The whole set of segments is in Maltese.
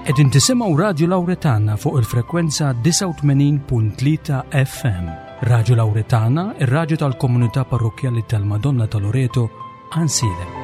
Qegħdin tisimgħu Radju Lawretana fuq il-frekwenza 89.3 FM. Radju Lawretana, ir-radju tal-komunità parrokkjali tal-Madonna ta' Loreto, Għansielem.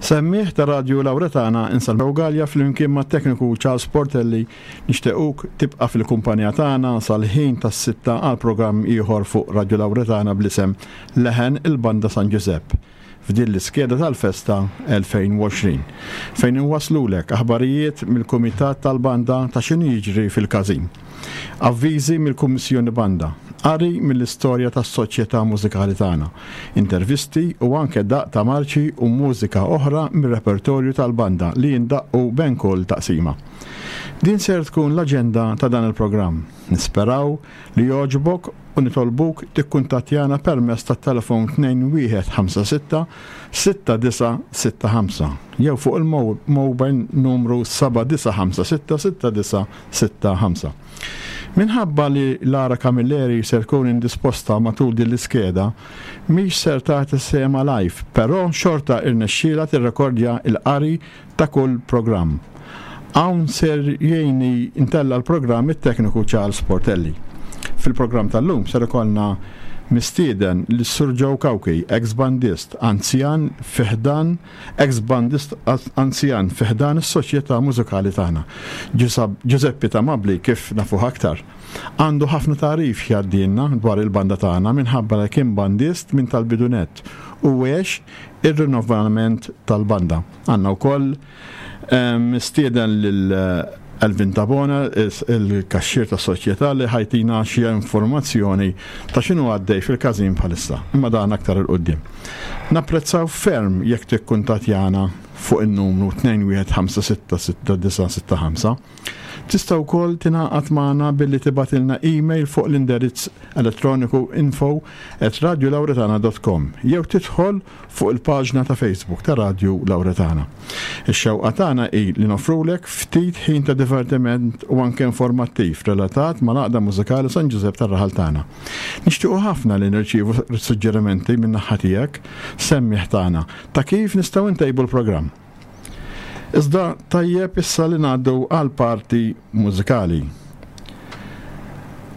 Semmiħ ta' Radju Lawretana Insalmu Gallia flimkien mat-tekniku Charles Portelli nixtiequk tibqa' fil-kumpanija tagħna sal-ħin tas-sitta għal programm ieħor fuq Radju Lawretana bl-isem Leħen il-Banda San Ġużepp f'din l-iskeda tal-festa 2020 fejn inwasslulek aħbarijiet mill-Kumitat tal-Banda ta' x'inhu jiġri fil-każin. Avviżi mill-Kummissjoni Banda, qari mill-istorja tas-Soċjetà Mużikali tagħna, intervisti u anke daqq ta' marċi u mużika oħra mir-repertorju tal-banda li jindaqqu ben kull taqsima. Din ser tkun l-aġenda ta' dan il-programm. Nisperaw li jogħġbok u nitolbuk tikkuntattjana permezz tat-telefon 2156 6965 jew fuq il-mobile numru 7956 6965. Minħabba li Lara Camilleri ser tkun indisposta matul din l-iskeda, mhix ser tagħti sehemha live, però xorta irnexxielha tirrekordja l-qari ta' kull programm. Hawn ser jgħinni ntella' l-programm it-tekniku Charles Portelli. Fil-programm tal-lum ser ikollna mistieden lis-Sur Joe Cauchi, eks bandist anzjan fi ħdan eks bandist anzjan fi ħdan is-soċjetà mużikali tagħna. Ġużeppi Tamabli kif nafuh aktar. Għandu ħafna tagħrif x'jgħaddilna dwar il-banda tagħna minħabba li kien bandist minn tal-bidu nett u għex ir-rinnovament tal-banda. Għandna wkoll mistieden lil Elvin Tabona, il-kaxxier tas-soċjetà li ħajtina xi informazzjoni ta' x'inhu għaddej fil-każin bħalissa, imma dan aktar 'il quddiem. Napprezzaw ferm jekk tikkuntattjana fuq in-numru 21566965. Tista' wkoll tingħaqad magħna billi tibgħatilna email fuq l-indirizz elettroniku info at radiolauretana dot com jew tidħol fuq il-paġna ta' Facebook ta' Radju Lauretana. Ix-xewqa tagħna hi li noffrulek ftit ħin ta' divertiment u anke informattiv relatat mal-Għaqda Mużikali San Ġużepp tar-raħal tagħna. Nixtiequ ħafna li nirċievu suġġerimenti min-naħa tiegħek, semmiegħ tagħna, ta' kif nistgħu ntejbu l-programm. Iżda tajjeb issa li ngħaddu għall-parti mużikali.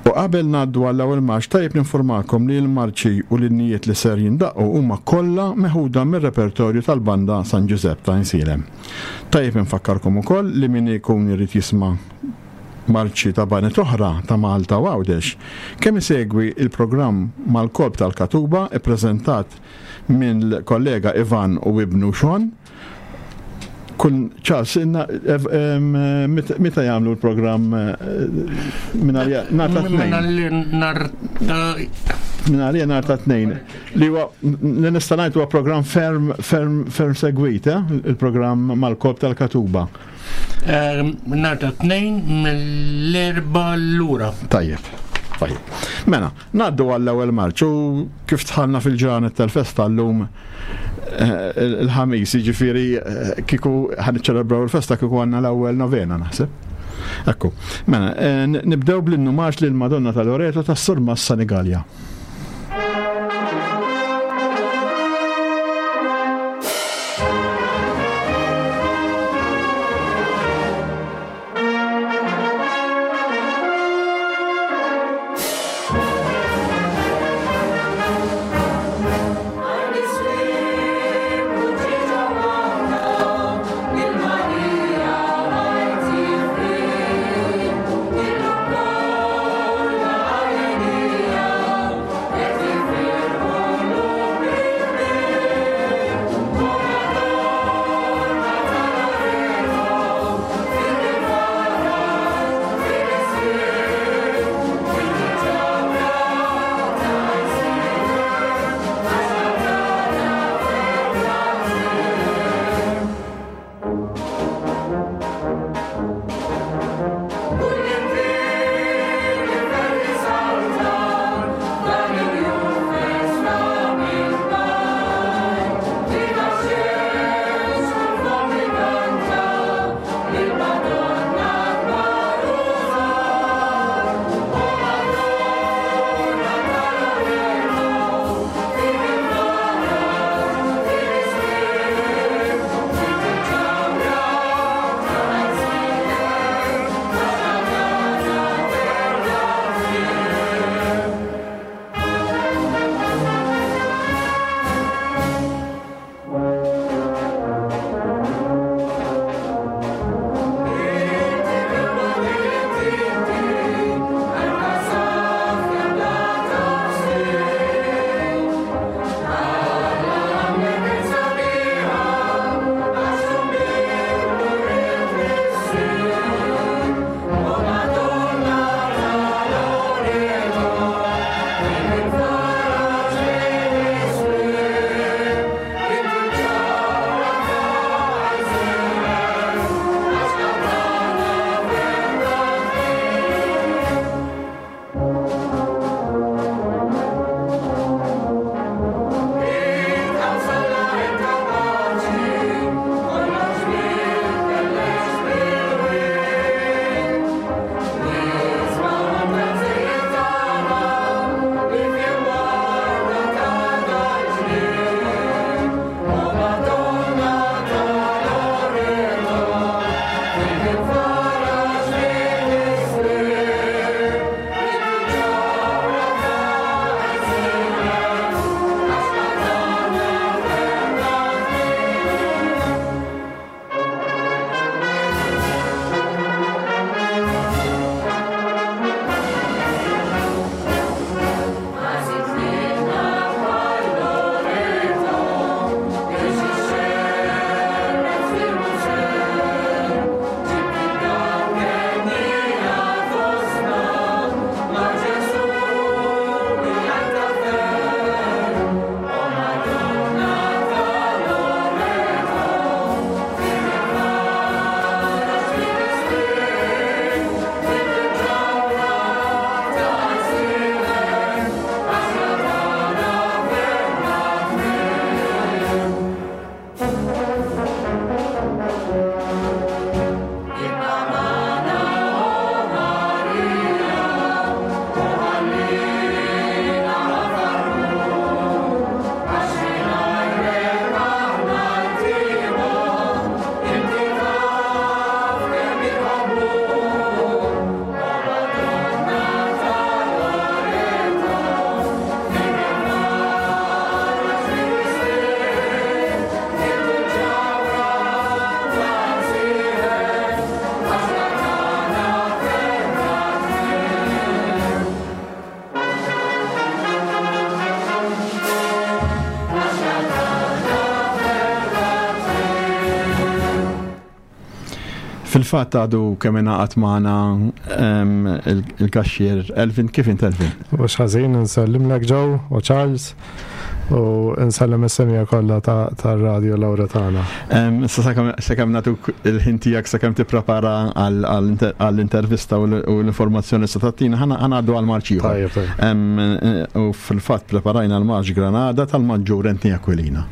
U. qabel ngħaddu għall-ewwel marċ tajjeb ninfurmakom li l-marċi u l-innijiet li ser jindaqqu huma kollha meħuda mir-repertorju tal-Banda San Ġużepp ta' Għajnsielem. Tajjeb infakkarkom ukoll li min ikun irid jisma' marċi ta' baned oħra ta' Malta u Għawdex, kemm isegwi l-programm Mal-Kolp tal-Katuba ppreżentat mill-kollega Ivan u ibnu Sean, Kull Charles, meta jagħmlu l-programm minn għalija nhar ta' tnejn. Minn għalija nhar ta' tnejn. Li huwa li nista' ngħid huwa programm ferm ferm ferm segwit, eh, il-programm mal-Korp tal-Katuba. Nhar ta' tnejn mill-erba' lura. Tajjeb. Tajjeb. Mela, Ngħaddu għall-ewwel marċ u kif dħalna fil-ġranet tal-festa llum eh, il-ħamis, jiġifieri eh, kieku ħan niċċelebraw il-festa kieku għandna l-ewwel novena naħseb. Ekku, mela, eh, nibdew bl-innu marċ lil Madonna ta' Loreto tas-Surmas Sanigalja. Fil-fatt għadu kemm ingħaqad magħna il-kaxxier Elvin. Kif int Elvin? Mhux ħażin, nsellimlek Joe u Charles u nsellem is-semija kollha tar-Radio Lauretana. Issa sakemm nagħtuk il-ħin tiegħek sakemm tipprepara għall-intervista u l-informazzjoni se tagħtina, ħa ngħaddu għal marċ ieħor. U fil-fatt preparajna l-marċ Granada tal-Maġġur Anthony Aquilina.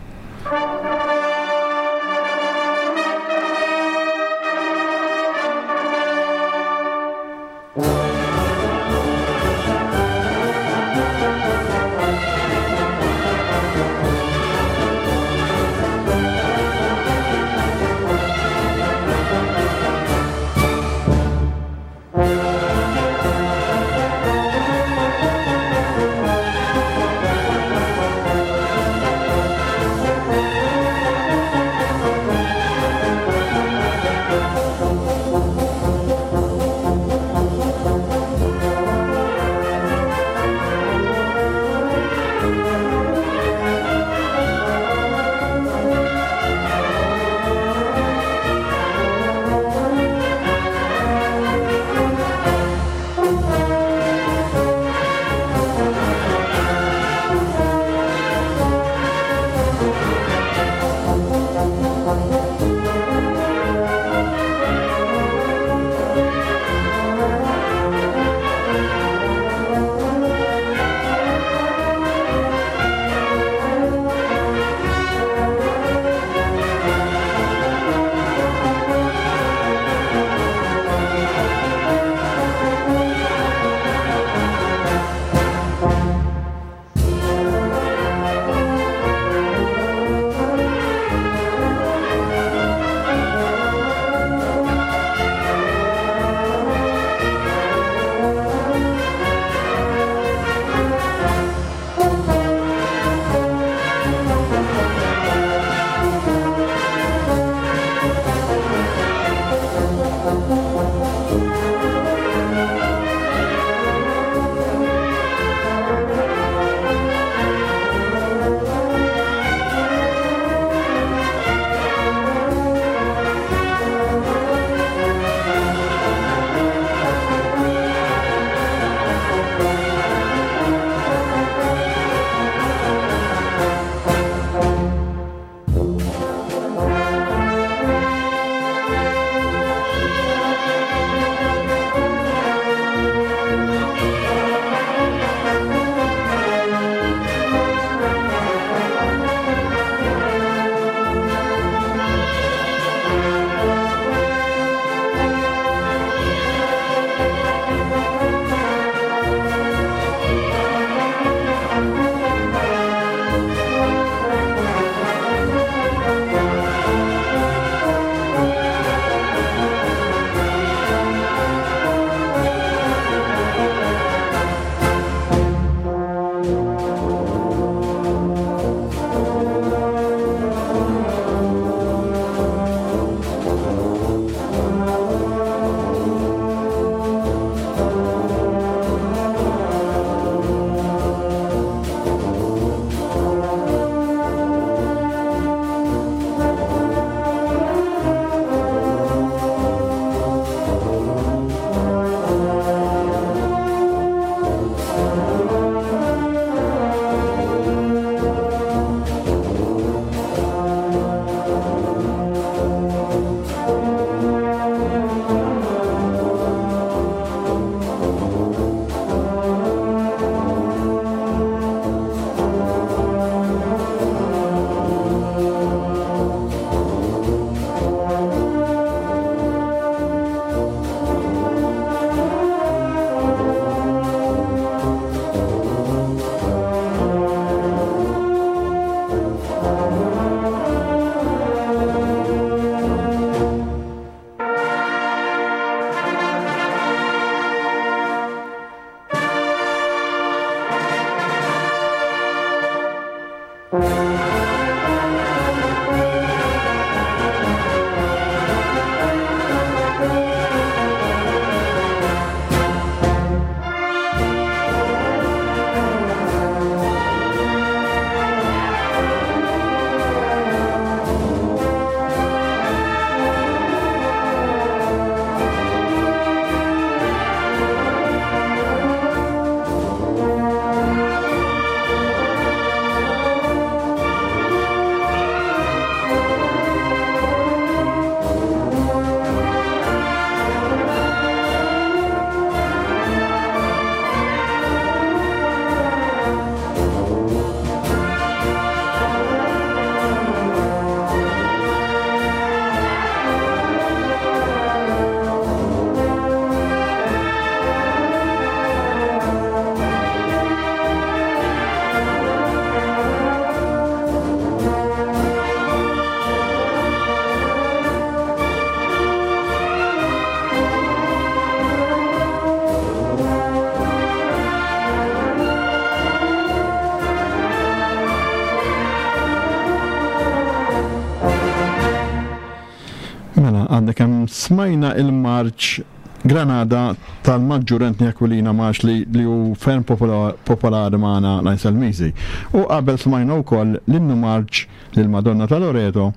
Smajna il-marċ Granada tal-Maġġur Anthony Aquilina marx li, li hu ferm popolari magħna l-Għajnselmiżi. U qabel smajna wkoll l-innu marċ lil Madonna ta' Loreto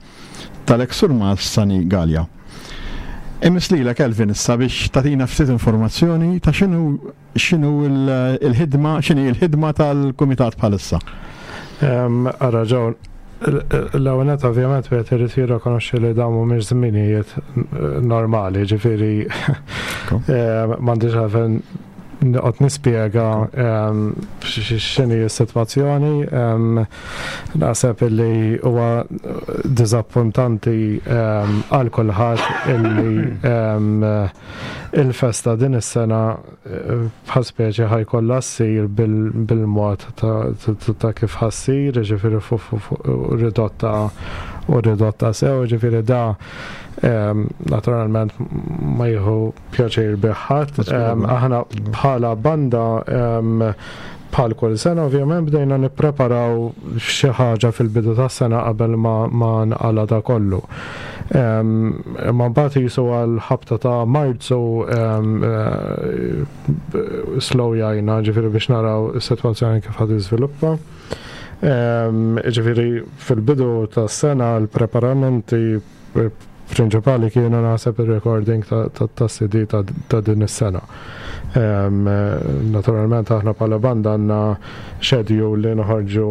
tal-eks Surmas Sani Galea. Imiss lilek Elvin issa biex tagħtina ftit informazzjoni ta' x'inhu x'inhu l-ħidma, x'inhi l-ħidma tal-kumitat bħalissa. Ara ġew l-ewwel nett ovvjament wieħed irid jirrikonoxxi li dawn mhumiex żminijiet normali, ġifieri m'għandix għalfejn noqgħod nispjega x'inhi s-sitwazzjoni. Naħseb illi huwa diżappuntanti għal kulħadd illi il-festa din is-sena bħal speċi ħajkollha ssir bil-mod ta' kif ħassir, ġifieri ridotta u ridotta sew, ġifieri da naturalment ma jieħu pjaċir bih ħadd. Aħna bħala banda bħal kull sena ovvjament bdejna nippreparaw xi ħaġa fil-bidu tas-sena qabel ma, ma nqala da kollu. Imma mbagħad jisu għal ħabta ta' Marzu eh, slow jajna ġifieri biex naraw is-sitwazzjoni kif ħad iżviluppa. Ġifieri fil-bidu tas-sena l-preparamenti prinċipali kienu naħseb ir-recording tas-CD ta' din is-sena. Naturalment aħna bħala banda għandna schedule li noħorġu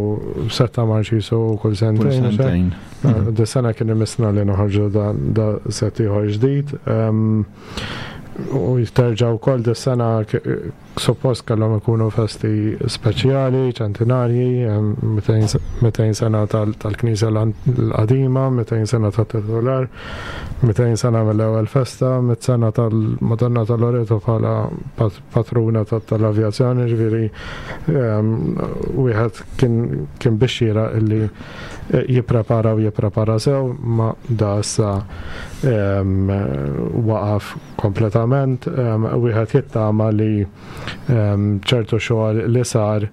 setta marċisu kull sentejn. Dis-sena kien imissna li noħorġu da set ieħor ġdid. U jiterġa' wkoll dis-sena Suppost kellhom ikunu festi speċjali, ċentinarji, 200 sena tal-Knisja l-qadima, 200 sena tat-titular, 200 sena mill-ewwel festa, 100 sena tal-Madonna ta' Loreto bħala patruna tal-avjazzjoni, ġifieri wieħed kien biex xieraq illi jipprepara u jipprepara sew, ma da issa waqaf kompletament, wieħed jittama li ċertu xogħol li sar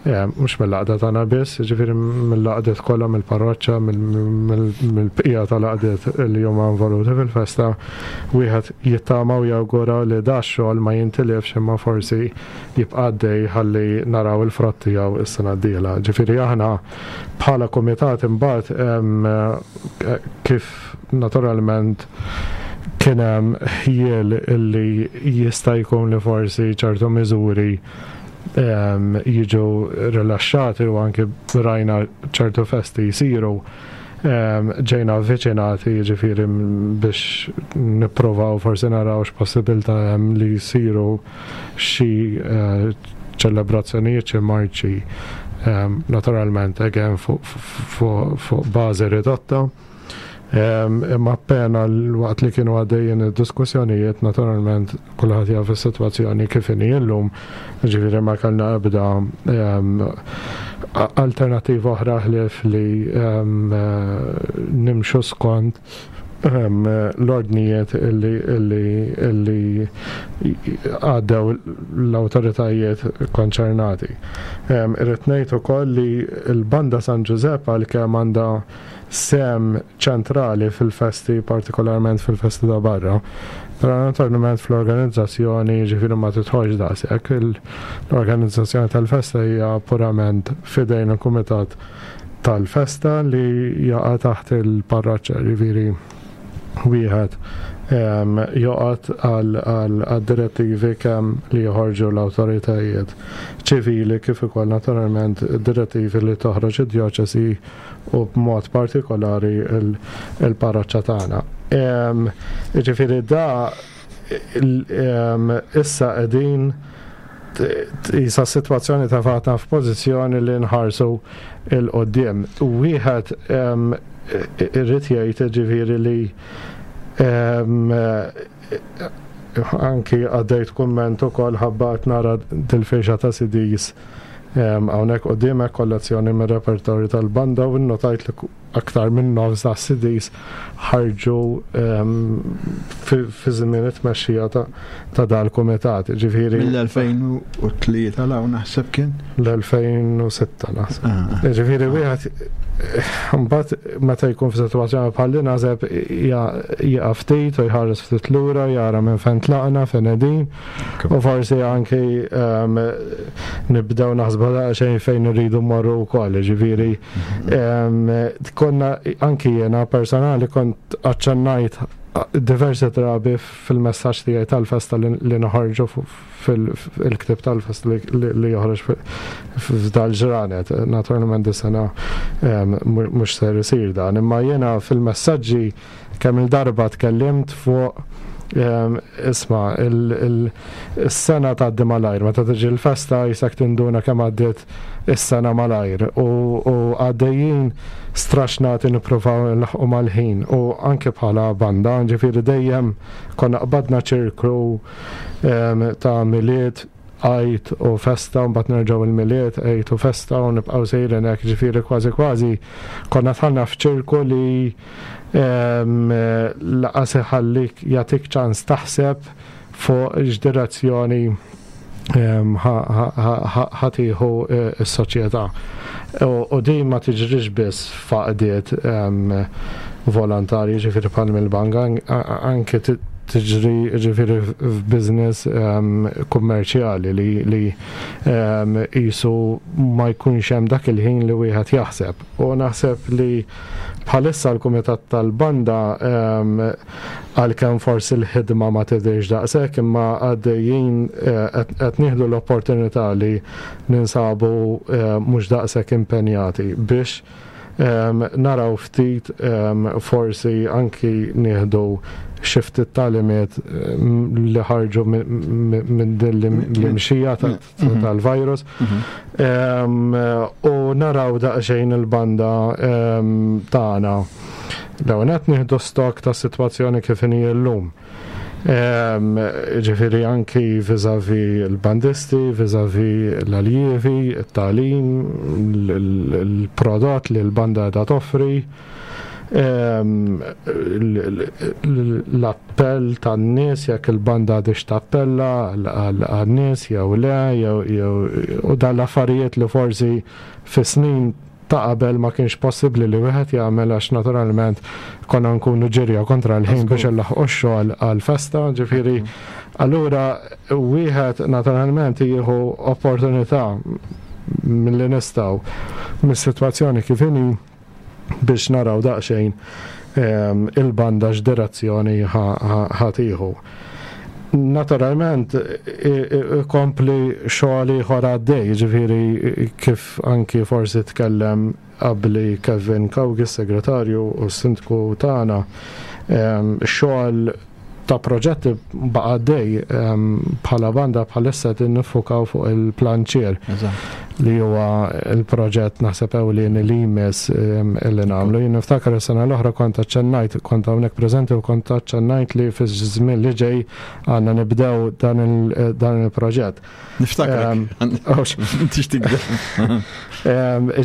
mhux mill-għaqda tagħna biss, jiġifieri mill-għaqdiet kollha mill-parroċċa, mill-bqija tal-għaqdiet li huma involuti fil-festa, wieħed jittama u jawgura li da x-xogħol ma jintilifx imma forsi jibqa' għaddej ħalli naraw il-frott tiegħu s-sena d-dieħla. Ġifieri aħna bħala kumitat imbagħad kif naturalment kien hemm ħjiel illi jista' jkun li forsi ċertu miżuri ehm, jiġu rilaxxati u anki rajna ċertu festi jsiru ehm, ġejna avviċinati jiġifieri biex nipprovaw forsi naraw x'possibilità hemm li jsiru xi eh, ċelebrazzjonijiet xi marċi ehm, naturalment again fuq bażi ridotta. Imma appena waqt li kienu għaddejjin id-diskussjonijiet, naturalment kulħadd jaf is-sitwazzjoni kif inhi llum, ġifieri ma kellna ebda alternattiva oħra ħlief li nimxu skont l-ordnijiet illi għaddew l-awtoritajiet konċernati. Irrid ngħid ukoll li l-Banda San Ġużepp għalkemm għandha sehem ċentrali fil-festi, partikolarment fil-festi ta' barra. Però naturalment fl-organizzazzjoni jiġifieri ma tidħolx daqshekk. L-organizzazzjoni tal-festa hija purament f'idejn il-kumitat tal-festa li jaqa' taħt il-parroċċa, jiġifieri wieħed joqgħod għad-direttivi kemm li joħorġu l-awtoritajiet ċivili kif ukoll naturalment id-direttivi li toħroġ id-djoċesi u b'mod partikolari il-parroċċa tagħna. Jiġifieri da issa qegħdin isa s-sitwazzjoni tefgħatna f'pożizzjoni li nħarsu 'l quddiem. Wieħed irrid jgħid ġifieri li anki għaddejt kumment ukoll ħabba qed nara dil-firxa ta' CDs hawnhekk quddiemek kollezzjoni mir-repertorju tal-banda u nnotajt li aktar minn nofs ta' CDs ħarġu fi żmien it-tmexxija ta' dal-kumitat. Ġifieri Mill-2003 law naħseb kien. L-2006 naħseb. Ġifieri wieħed mbagħad meta jkun f'sitwazzjoni bħal din naħseb jieqaf ftit u jħares ftit lura, jara minn fejn tlaqna, fejn qegħdin, u forsi anki nibdew naħsbu daqsxejn fejn irridu mmorru wkoll, ġifieri konna anki jiena personali kont aċċennajt diversi drabi fil-messaġġ tiegħi tal-festa li noħorġu fil-ktib tal-festa li joħroġ f'dal ġranet. Naturalment dis-sena mhux ser isir dan, imma jiena fil-messaġġi kemm il-darba tkellimt fuq isma' il-sena tgħaddi malajr, meta tiġi l-festa jisek tinduna kemm għaddiet is-sena malajr u għaddejjin straxnati nippruvaw nlaħqu mal-ħin u anke bħala banda, ġifieri dejjem konna qbadna ċirklu ta' Milied, Għid u festa, u mbagħad nerġgħu il-Milied, Għid u festa u nibqgħu sejrin hekk, ġifieri kważi kważi konna dħalna f'ċirku li laqas iħallik jagħtik ċans taħseb fuq x'direzzjoni ħa tieħu s-soċjetà. U din ma tiġrix biss f'għaqdiet volontarji, ġifieri bħal mill-bank, anke tiġri ġifieri f'business kummerċjali li qisu ma jkunx hemm dak il-ħin li wieħed jaħseb. U naħseb li bħalissa l-Kumitat tal-Banda għalkemm forsi l-ħidma ma tidhirx daqshekk imma għaddejjin qed nieħdu l-opportunità li ninsabu mhux daqshekk impenjati biex naraw ftit forsi anki nieħdu xi ftit tagħlimiet li ħarġu minn din l-imxija tal-virus. U naraw daqsxejn il-banda tagħna. L-ewwel nett nieħdu stock tas-sitwazzjoni kif inhi llum. Ġifieri anki vis-à-vis il-bandisti, vis-à-vis l-aljievi, it-tagħlim, il-prodott li l-banda qiegħda toffri, l-appell tan-nies jekk il-banda għadhiex tappella għan-nies jew le, jew u dan l-affarijiet li forsi fi snin ta' qabel ma kienx possibbli li wieħed jagħmel għax naturalment konna nkunu ġirja kontra l-ħin biex inlaħħqu x-xogħol għall-festa, ġifieri allura wieħed naturalment jieħu opportunità milli nistgħu mis-sitwazzjoni kif inhi biex naraw daqsxejn il-banda x'direzzjoni ħa tieħu. Naturalment ikompli xogħol ieħor għaddej, ġifieri kif anki forsi tkellem qabli Kevin Cauchi, s-segretarju u s-sindku tagħna, xogħol ta' proġetti baqa' għaddej bħala banda bħalissa qed niffukaw fuq il-planċier li huwa l-proġett naħseb ewlieni li jmiss li nagħmlu. Jien niftakar is-sena l-oħra kont aċċennajt, kont hawnhekk preżenti u kont aċċennajt li fiż-żmien li ġej għandna nibdew dan il-proġett. Niftakrek. Tix tikdeb.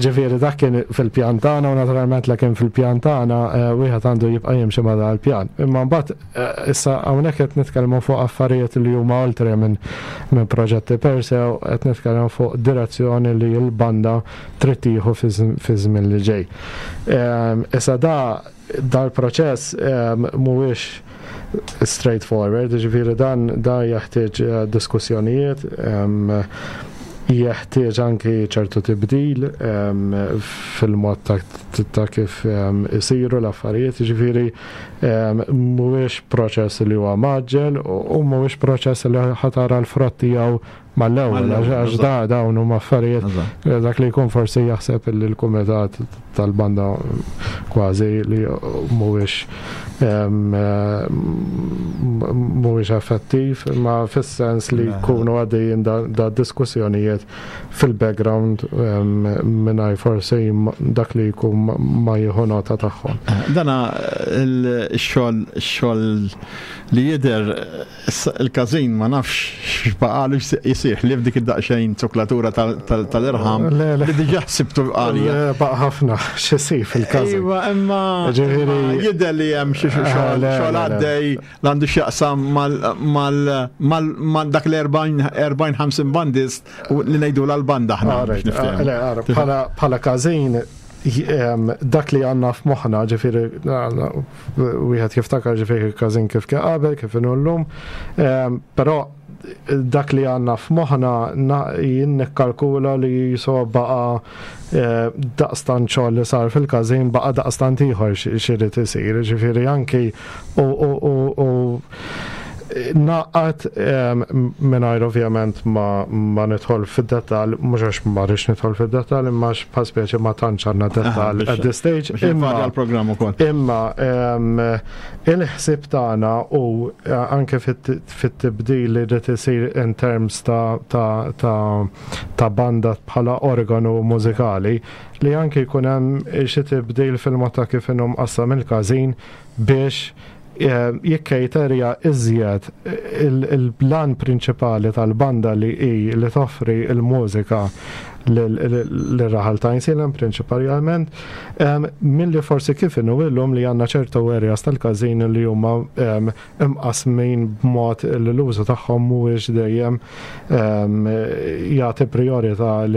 Ġifieri dak kien fil-pjan tagħna u naturalment la kien fil-pjan tagħna wieħed għandu jibqa' jimxi ma' dan il-pjan. Imma mbagħad issa hawnhekk qed nitkellmu fuq affarijiet li huma oltre minn proġetti per se u qed nitkellmu fuq direzzjoni li l-banda trid tieħu fiż-żmien li ġej. Issa da dal-proċess mhuwiex straightforward, ġifieri dan da jeħtieġ diskussjonijiet, jeħtieġ anki ċertu tibdil fil-mod ta' kif isiru l-affarijiet, ġifieri mhuwiex proċess li huwa mgħaġġel u mhuwiex proċess li ħa tara l-frott tiegħu mal-ewwel, għax da dawn huma affarijiet dak li jkun forsi jaħseb li l-kumitat tal-banda kważi li mhuwiex mhuwiex effettiv, imma fis-sens li jkunu għaddejjin da diskussjonijiet fil-background mingħajr forsi dak li jkun ma jieħu nota tagħhom. Dana x-xogħol xogħol li jidher il-każin ma nafx x'baqalu. jsir ħlief dik id-daqsxejn zuklatura tal-irħam li diġà sibtu għalija. Baqa' ħafna x'isir fil-każin. Iva, imma jidher li hemm xi xogħol għaddej li għandu x'jaqsam mal dak l-40-50 bandist li ngħidu l-banda aħna. Bħala każin dak li għandna f'moħħna, ġifieri wieħed jiftakar ġifieri każin kif kien qabel, kif inhu llum, però dak li għandna f'moħħna jien nikkalkula li jiso baqa' daqstant xogħol li sar fil-każin baqa' daqstant ieħor x'irid isir, ġifieri anki u naqat mingħajr ovvjament ma nidħol fid-dettall, mhux għax ma rridx nidħol fid-dettall, imma għax bħal speċi ma tantx għandna dettall at this stage. Imma l-programm ukoll. Imma il-ħsieb tagħna u anke fit-tibdil li jrid isir in terms ta' banda bħala organu mużikali, li anke jkun hemm xi tibdil fil-mod ta' kif inhu mqassam il-każin biex jikkejterja iżjed il-plan prinċipali tal-banda li hi li toffri il-mużika l-raħal ta' Għajnsielem prinċipalment, milli forsi kif inhu illum li għandna ċertu areas tal-każin li huma imqasmin b'mod li l-użu tagħhom mhuwiex dejjem jagħti priorità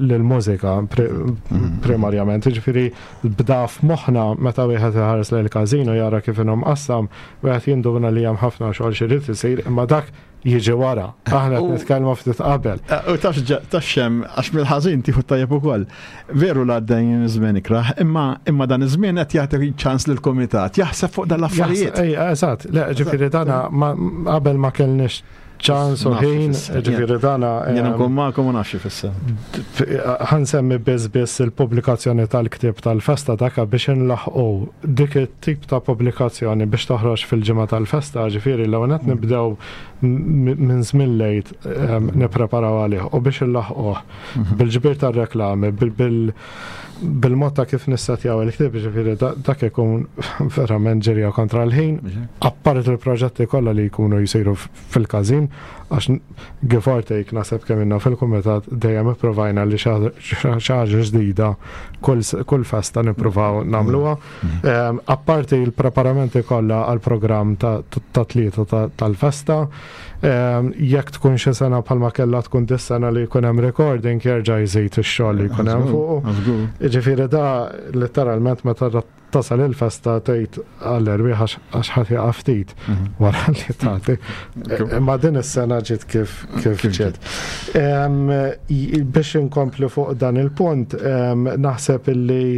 lill-mużika primarjament. Ġifieri bda f'moħħna meta wieħed iħares lejn il-każin u jara kif inhu mqassam, wieħed jinduna li hemm ħafna xogħol xi jrid isir, imma dak jiġi wara. Aħna qed nitkellmu ftit qabel. U taf xem, għax mill-ħażin tieħu tajjeb ukoll. Veru l għaddejn żmien ikrah, imma dan iż-żmien qed jagħti ċans lill-kumitat jaħseb fuq dan l-affarijiet. Ejja, eżatt, le, ġifieri dana qabel ma kellniex ċans u ħin, ġifieri dana. Jien nkun magħkom u nafx ifisser. Ħansemmi biss biss il-pubblikazzjoni tal-ktieb tal-festa daka biex inlaħqu dik it-tip ta' pubblikazzjoni biex toħroġ fil-ġimgħa tal-festa, ġifieri l qed nibdew minn żmien lejt nippreparaw għalih u biex inlaħquh bil-ġbir tar-reklami, bil-mod ta' kif nissetjaw il-ktieb, ġifieri dak ikun verament ġirja kontra l-ħin, apparti il-proġetti kollha li jkunu jsiru fil-każin, għax give or take naħseb kemm inna fil-kumitat dejjem ipprovajna li xi ħaġa ġdida kull festa nippruvaw nagħmluha. Apparti il-preparamenti kollha għall-programm ta' tlieta tal-festa, jekk tkun xi sena bħalma kellha tkun dis-sena li jkun hemm recording jerġa' jżid ix-xogħol li jkun hemm fuq. Ġifieri da letteralment meta tasal il-festa tgħid għall-erwieħ għax ħadd jaqa' ftit wara li tagħti. Imma din is-sena ġiet kif ġiet. Biex inkompli fuq dan il-punt, naħseb illi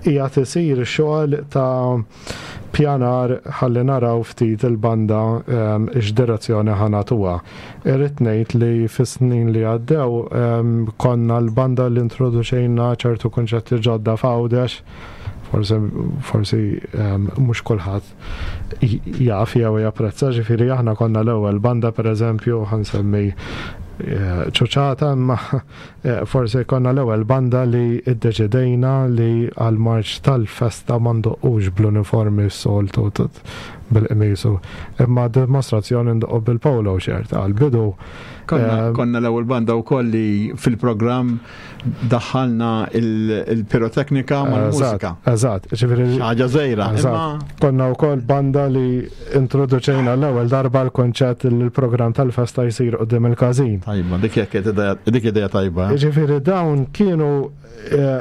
qiegħed isir xogħol ta' pjanar ħalli naraw ftit il-banda x'direzzjoni ħa nagħtuha. Irrid ngħid li fis-snin li għaddew konna l-banda li introduċejna ċertu kunċetti ġodda f'Għawdex, forsi mhux kulħadd jaf jew japprezza, ġifieri aħna konna l-ewwel banda pereżempju ħa nsemmi ċuċata, imma forsi konna l-ewwel banda li iddeċidejna li għal-marċ tal-festa ma ndoqqux bl-uniformi s-soltu bil-qmisu, imma dimostrazzjoni ndoqqu bil-polo shirt għal-bidu. Konna l-ewwel banda wkoll li fil-programm daħħalna il-piroteknika mal-mużika. Eżatt, ġifieri ħaġa żgħira. Konna wkoll banda li introduċejna l-ewwel darba l-konċett li l-programm tal-festa jsir quddiem il-każin. Tajba, dik jekk dik idea tajba. Ġifieri dawn kienu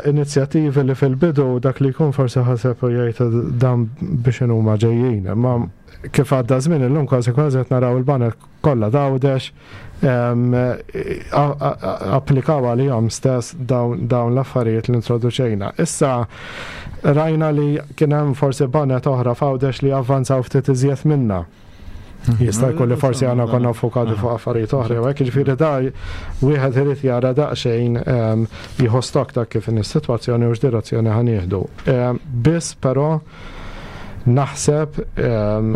inizjattivi li fil-bidu dak li jkun forsi ħaseb u jgħid dan biex huma ġejjin, imma kif għadda żmien illum kważi kważi qed naraw il-baned kollha t'Għawdex applikaw għalihom stess dawn l-affarijiet li introduċejna. Issa rajna li kien hemm forsi baned oħra f'Għawdex li avvanzaw ftit iżjed minna. Jista' jkun li forsi għandna konna fokati fuq affarijiet oħra, u hekk ġifieri da wieħed irid jara daqsxejn jieħu stock ta' kif in is-sitwazzjoni u x'direzzjoni ħa nieħdu. Biss però naħseb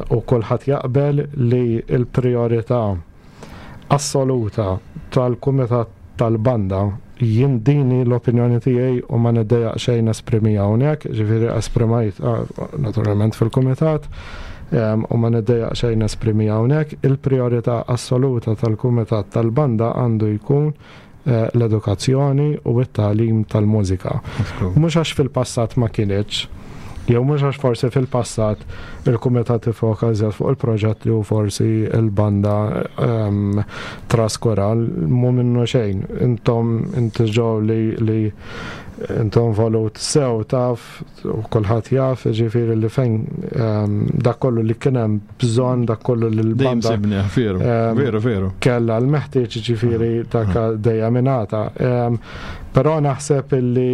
u kulħadd jaqbel li l-priorità assoluta tal-kumitat tal-banda, jien dini l-opinjoni tiegħi u ma niddejjaq xejn esprimiha hawnhekk, ġifieri esprimajt naturalment fil-kumitat. u ma niddejjaq xejn nesprimi hawnhekk, il-prijorità assoluta tal-kumitat tal-banda għandu jkun eh, l-edukazzjoni u t-tagħlim tal-mużika. Mhux għax fil-passat ma kinitx, jew mhux għax forsi fil-passat il-kumitat ifoka iżjed fuq il-proġett li hu forsi il-banda um, traskura, mhu minnu xejn. Intom inti ġew li, li intom volut sew taf u kulħadd jaf, ġifieri li fejn ehm, dak kollu li kien hemm bżonn, dak kollu li l-banda. Veru, ehm, veru, veru. Kella l-meħtieġ ġifieri dak dejjem ingħata. Ehm, però naħseb li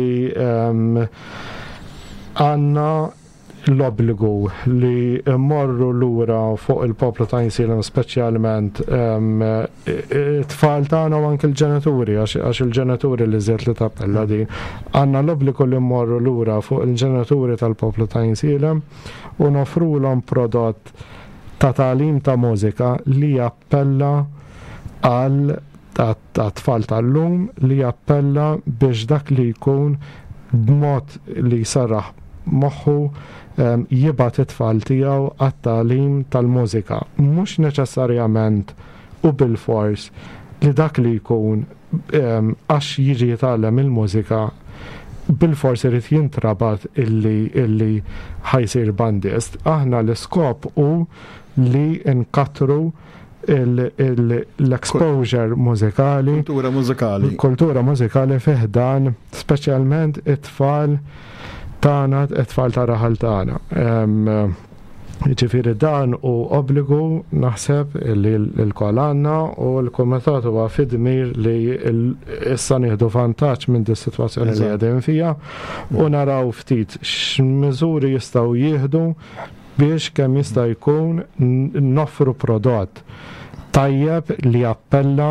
għandna l-obbligu li mmorru lura fuq il-poplu ta' Għajnsielem speċjalment it-tfal tagħna u anke l-ġenituri għax il-ġenituri li żied li tappella din. Għandna l-obbligu li mmorru lura fuq il-ġenituri tal-poplu ta' Għajnsielem u nofrulhom prodott ta' tagħlim ta' mużika li jappella għal tat-tfal tal-lum li jappella biex dak li jkun b'mod li jsarraħ moħħu jibgħat it-tfal tiegħu għat-tagħlim tal-mużika. Mhux neċessarjament u bilfors li dak li jkun għax jiġi jitgħallem il-mużika bilfors irid jintrabat illi illi ħa jsir bandist. Aħna l-iskop hu li nkattru l-exposure mużikali. Kultura mużikali. Kultura mużikali fi ħdan, speċjalment it-tfal tagħna, it-tfal ta' raħal tagħna. Ġifieri dan hu obbligu naħseb li l-kol għandna u l-kumitat huwa fid-dmir li issa nieħdu vantaġġ minn dis sitwazzjoni li qegħdin fiha u naraw ftit x'miżuri jistgħu jieħdu biex kemm jista' jkun noffru prodott tajjeb li jappella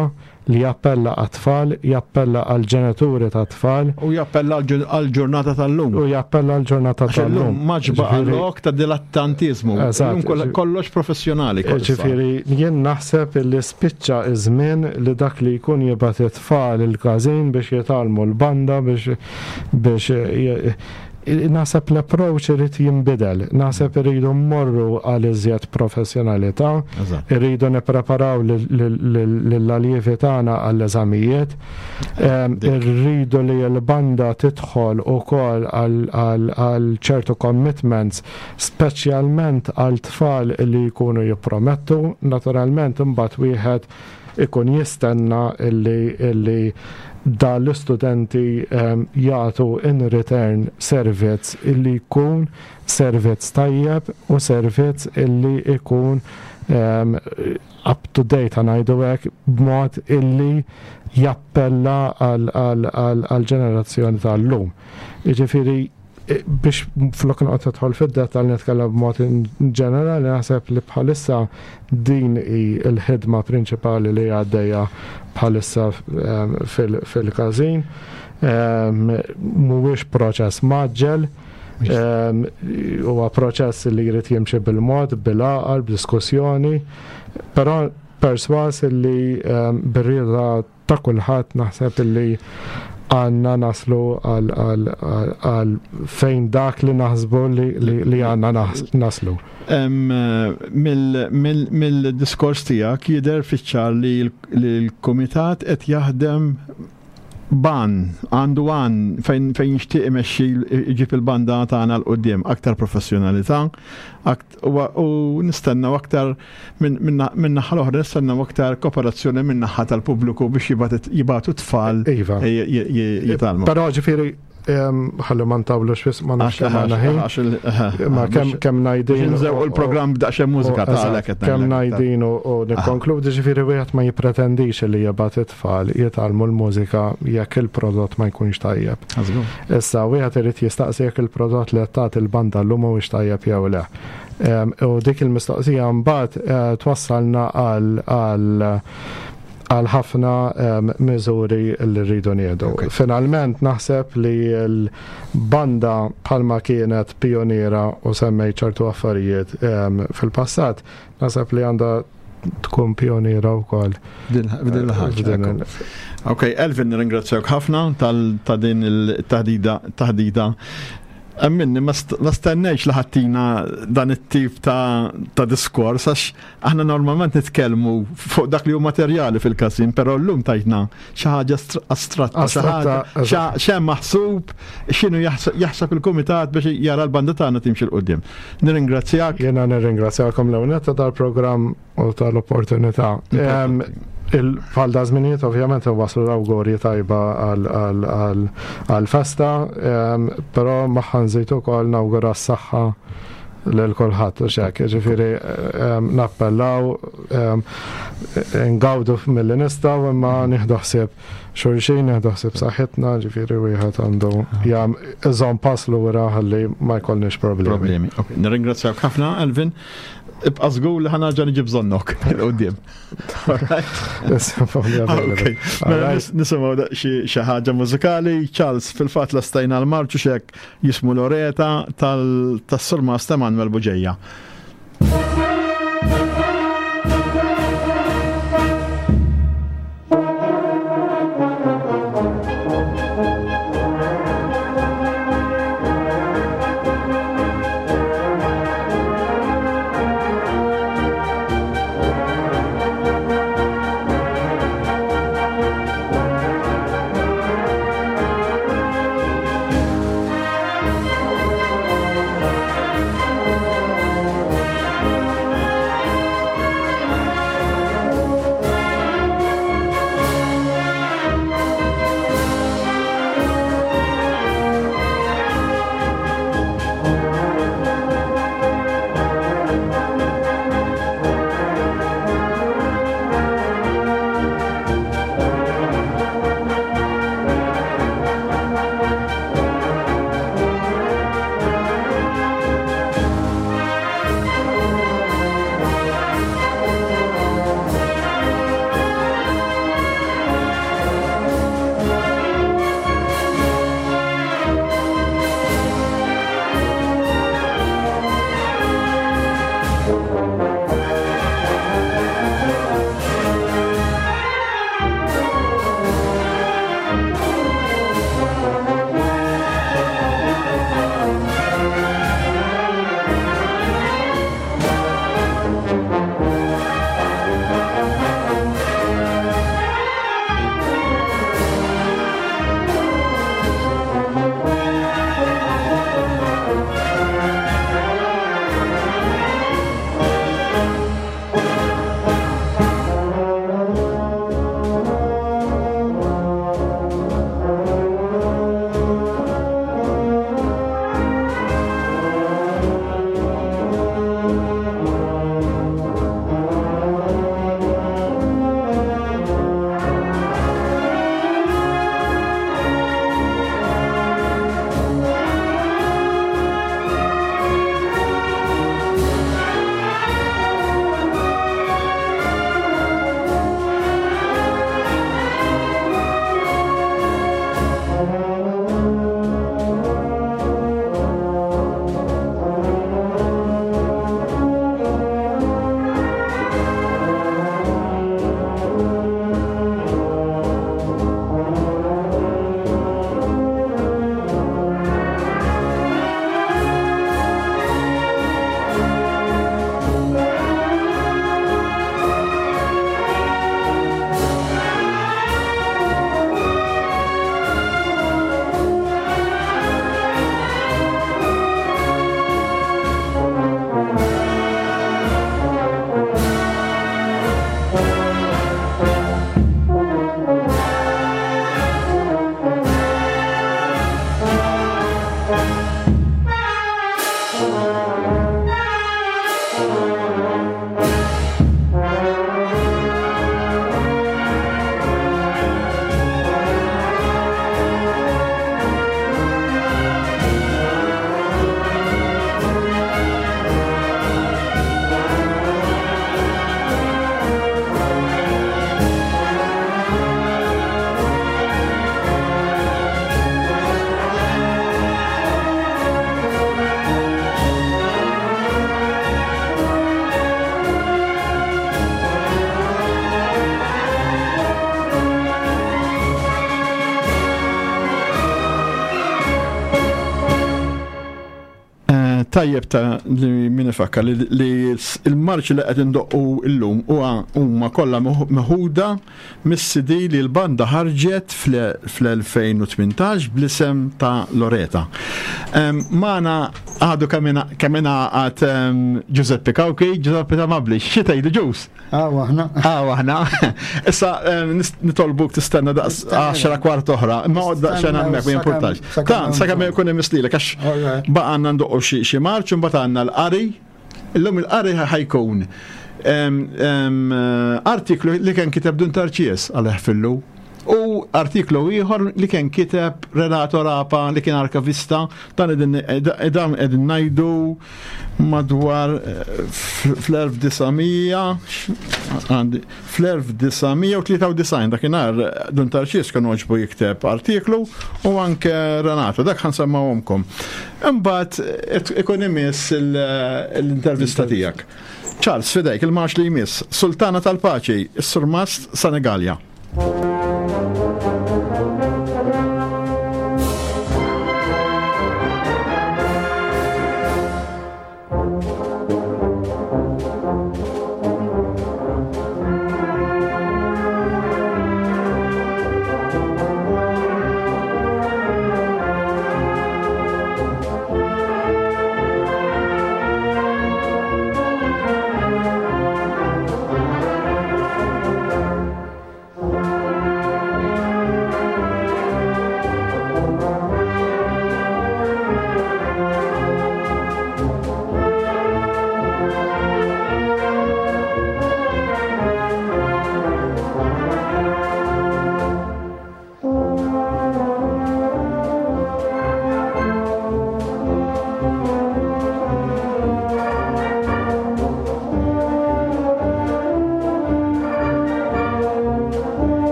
li jappella għat-tfal, jappella għall-ġenituri tat-tfal. U jappella għall-ġurnata tal-lum. U jappella għall-ġurnata tal-lum. Ma ġbaqa lok ta' dilettantiżmu. Eżatt. Kollox professjonali. Ġifieri jien naħseb li spiċċa iż-żmien li dak li jkun jibgħat it-tfal il-każin biex jitgħallmu l-banda biex biex Naħseb l-approach irid jinbidel, naħseb irridu mmorru għal iżjed professjonalità, irridu nippreparaw lill-aljievi tagħna għall-eżamijiet, irridu li l-banda tidħol ukoll għal ċertu commitments, speċjalment għal tfal li jkunu jippromettu, naturalment imbagħad wieħed ikun jistenna illi da l-istudenti ehm, jagħtu in return servizz illi jkun servizz tajjeb u servizz illi jkun ehm, up to date ngħidu hekk b'mod illi jappella għal-ġenerazzjoni tal-lum. Jiġifieri biex flok noqgħod nidħol fid-dettall nitkellem b'mod ġenerali naħseb li bħalissa din hi l-ħidma prinċipali li għaddejja bħalissa ehm, fil-każin. Ehm, mhuwiex proċess maġġel, ehm, huwa proċess li jrid jimxi bil-mod, bil-għaqal, b'diskussjoni, però perswas li bir-rieda ta' kulħadd naħseb illi għanna naslu għal fejn dak li naħsbu li għanna naslu. Mill-diskors tiegħek jidher fiċ-ċar li l-kumitat qed jaħdem ban, għandu għan fejn fejn jixtieq imexxi jġib il-banda tagħna 'l quddiem aktar professjonalità, u nistennew aktar minn naħa l-oħra nistennew aktar kooperazzjoni minn naħa tal-pubbliku biex jibgħatu tfal iva. jitgħallmu. Però ġifieri ħalli ma ntawlux fis ma nafx kemm għandna ħin. Ma kemm kemm ngħidin. Nżewqu l-programm b'daqsxejn mużika tagħlek qed Kemm ngħidin u nikkonkludi ġifieri wieħed ma jippretendix li jibgħat it-tfal jitgħallmu l-mużika jekk il-prodott ma jkunx tajjeb. Issa, wieħed irid jistaqsi jekk il-prodott li qed tagħti l-banda llum huwiex tajjeb jew le. U dik il-mistoqsija mbagħad eh, twassalna għal għal ħafna miżuri li rridu nieħdu. Finalment naħseb li l-banda bħalma kienet pioniera u semmejt ċertu affarijiet fil-passat, naħseb li għandha tkun pioniera wkoll. Din il-ħaġa. Ok, Elvin, nirringrazzjak ħafna ta' din il-taħdida taħdida. Emminni, ma stennejx li ħattina dan it-tip ta', ta diskors, għax aħna normalment nitkellmu fuq dak li hu materjali fil-każin, però llum tajtna xi ħaġa astratta, xi ħaġa x'hemm maħsub, x'inhu jaħseb il-kumitat biex jara l-banda tagħna timxi 'l quddiem. Nirringrazzjak. Jiena nirringrazzjakom l-ewwel tal-programm u tal-opportunità. Bħal da żminijiet ovvjament waslu l-awgurji tajba għal-festa, però magħha nżid ukoll nawgura s-saħħa lil kulħadd u xek, ġifieri nappellaw ngawdu milli nistgħu imma nieħdu ħsieb xulxin, nieħdu ħsieb saħħitna, ġifieri wieħed għandu jam iżomm pass lura ħalli ma jkollniex problemi. Problemi. Nirringrazzjak ħafna, Elvin. Ibqa' żgur li ħanarġa' niġi bżonnok il-qudiem. Mela nisimgħu xi ħaġa mużikali, Charles fil-fatt lastajna l-marċu xek jismu Loreta tas-Surmast Emanuel Buġeja. Tajjeb ta' li min ifakkar li l-marċi li qed indoqqu llum huwa huma kollha meħuda mis-CD li l-banda ħarġet fl-2018 bl-isem ta' Loreta. Magħna għadu kemm ingħaqad Giuseppe Cauchi, Giuseppe Tamabli, xi tgħidli Ġus? Aw aħna. Aw aħna. Issa nitolbuk tistenna daqs 10 kwart oħra, imma għod daqsxejn hemmhekk ma jimpurtax. Ta' sakemm ikun imislilek għax baqa' għandna ndoqqu xi marċ imbagħad għandna l-qari. Illum il-qari ħajkun artiklu li kien kiteb Dun Tarċies għal fillu u artiklu ieħor li kien kiteb Renato Rapa li kien arkavista dan qegħdin ngħidu madwar fl-1900 fl-1993 dakinhar Dun Tarċis kien għoġbu jikteb artiklu u anke Renato dak ħansemmawhomkom. Imbagħad ikun imiss l-intervista tiegħek. Charles, fidejk il-marx li jmiss, Sultana tal-Paċi, is-Surmast Senegalja.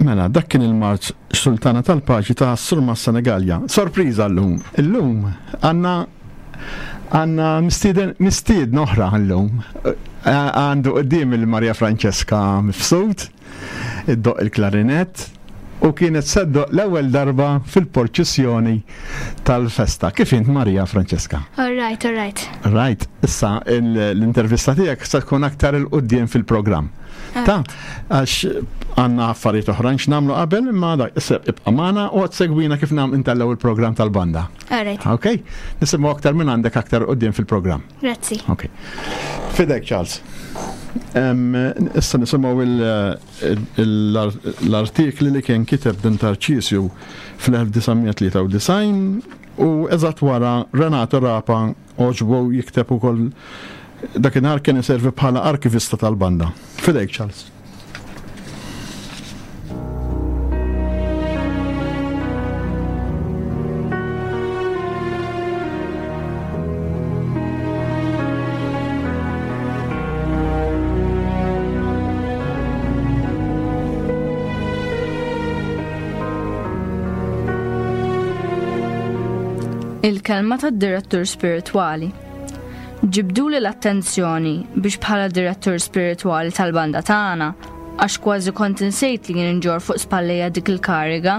Mela, dak kien il-marċ Sultana tal-Paċi ta' Surma Senegalja. Sorpriża llum. Illum għandna għandna mistieden mistiedna oħra llum. Għandu qudiem il-Maria Francesca Mifsud, iddoqq il-klarinett u kienet se ddoqq l-ewwel darba fil-porċissjoni tal-festa. Kif int Maria Francesca? All right, all right. Right, issa l-intervista tiegħek se tkun aktar il-quddiem fil-programm. Ta' għax għandna affarijiet oħrajn x'nagħmlu qabel imma dak issa ibqa' magħna u segwina kif nagħmlu intellgħu il-programm tal-banda. All right. Ok? Nisimgħu aktar minn għandek aktar quddiem fil-programm. Grazzi. Ok. Fidek Charles. Issa nisimgħu l-artikli li kien kiteb din Tarċisju fl-1993 u eżatt wara Renato Rapa għoġbu jikteb ukoll dakinhar kien iservi bħala arkivista tal-banda. Fidejk Charles. Il-kelma tad-direttur spiritwali. Ġibduli l-attenzjoni biex bħala direttur spiritwali tal-banda tagħna, għax kważi kont insejt li jien inġorr fuq spallejja dik il-kariga,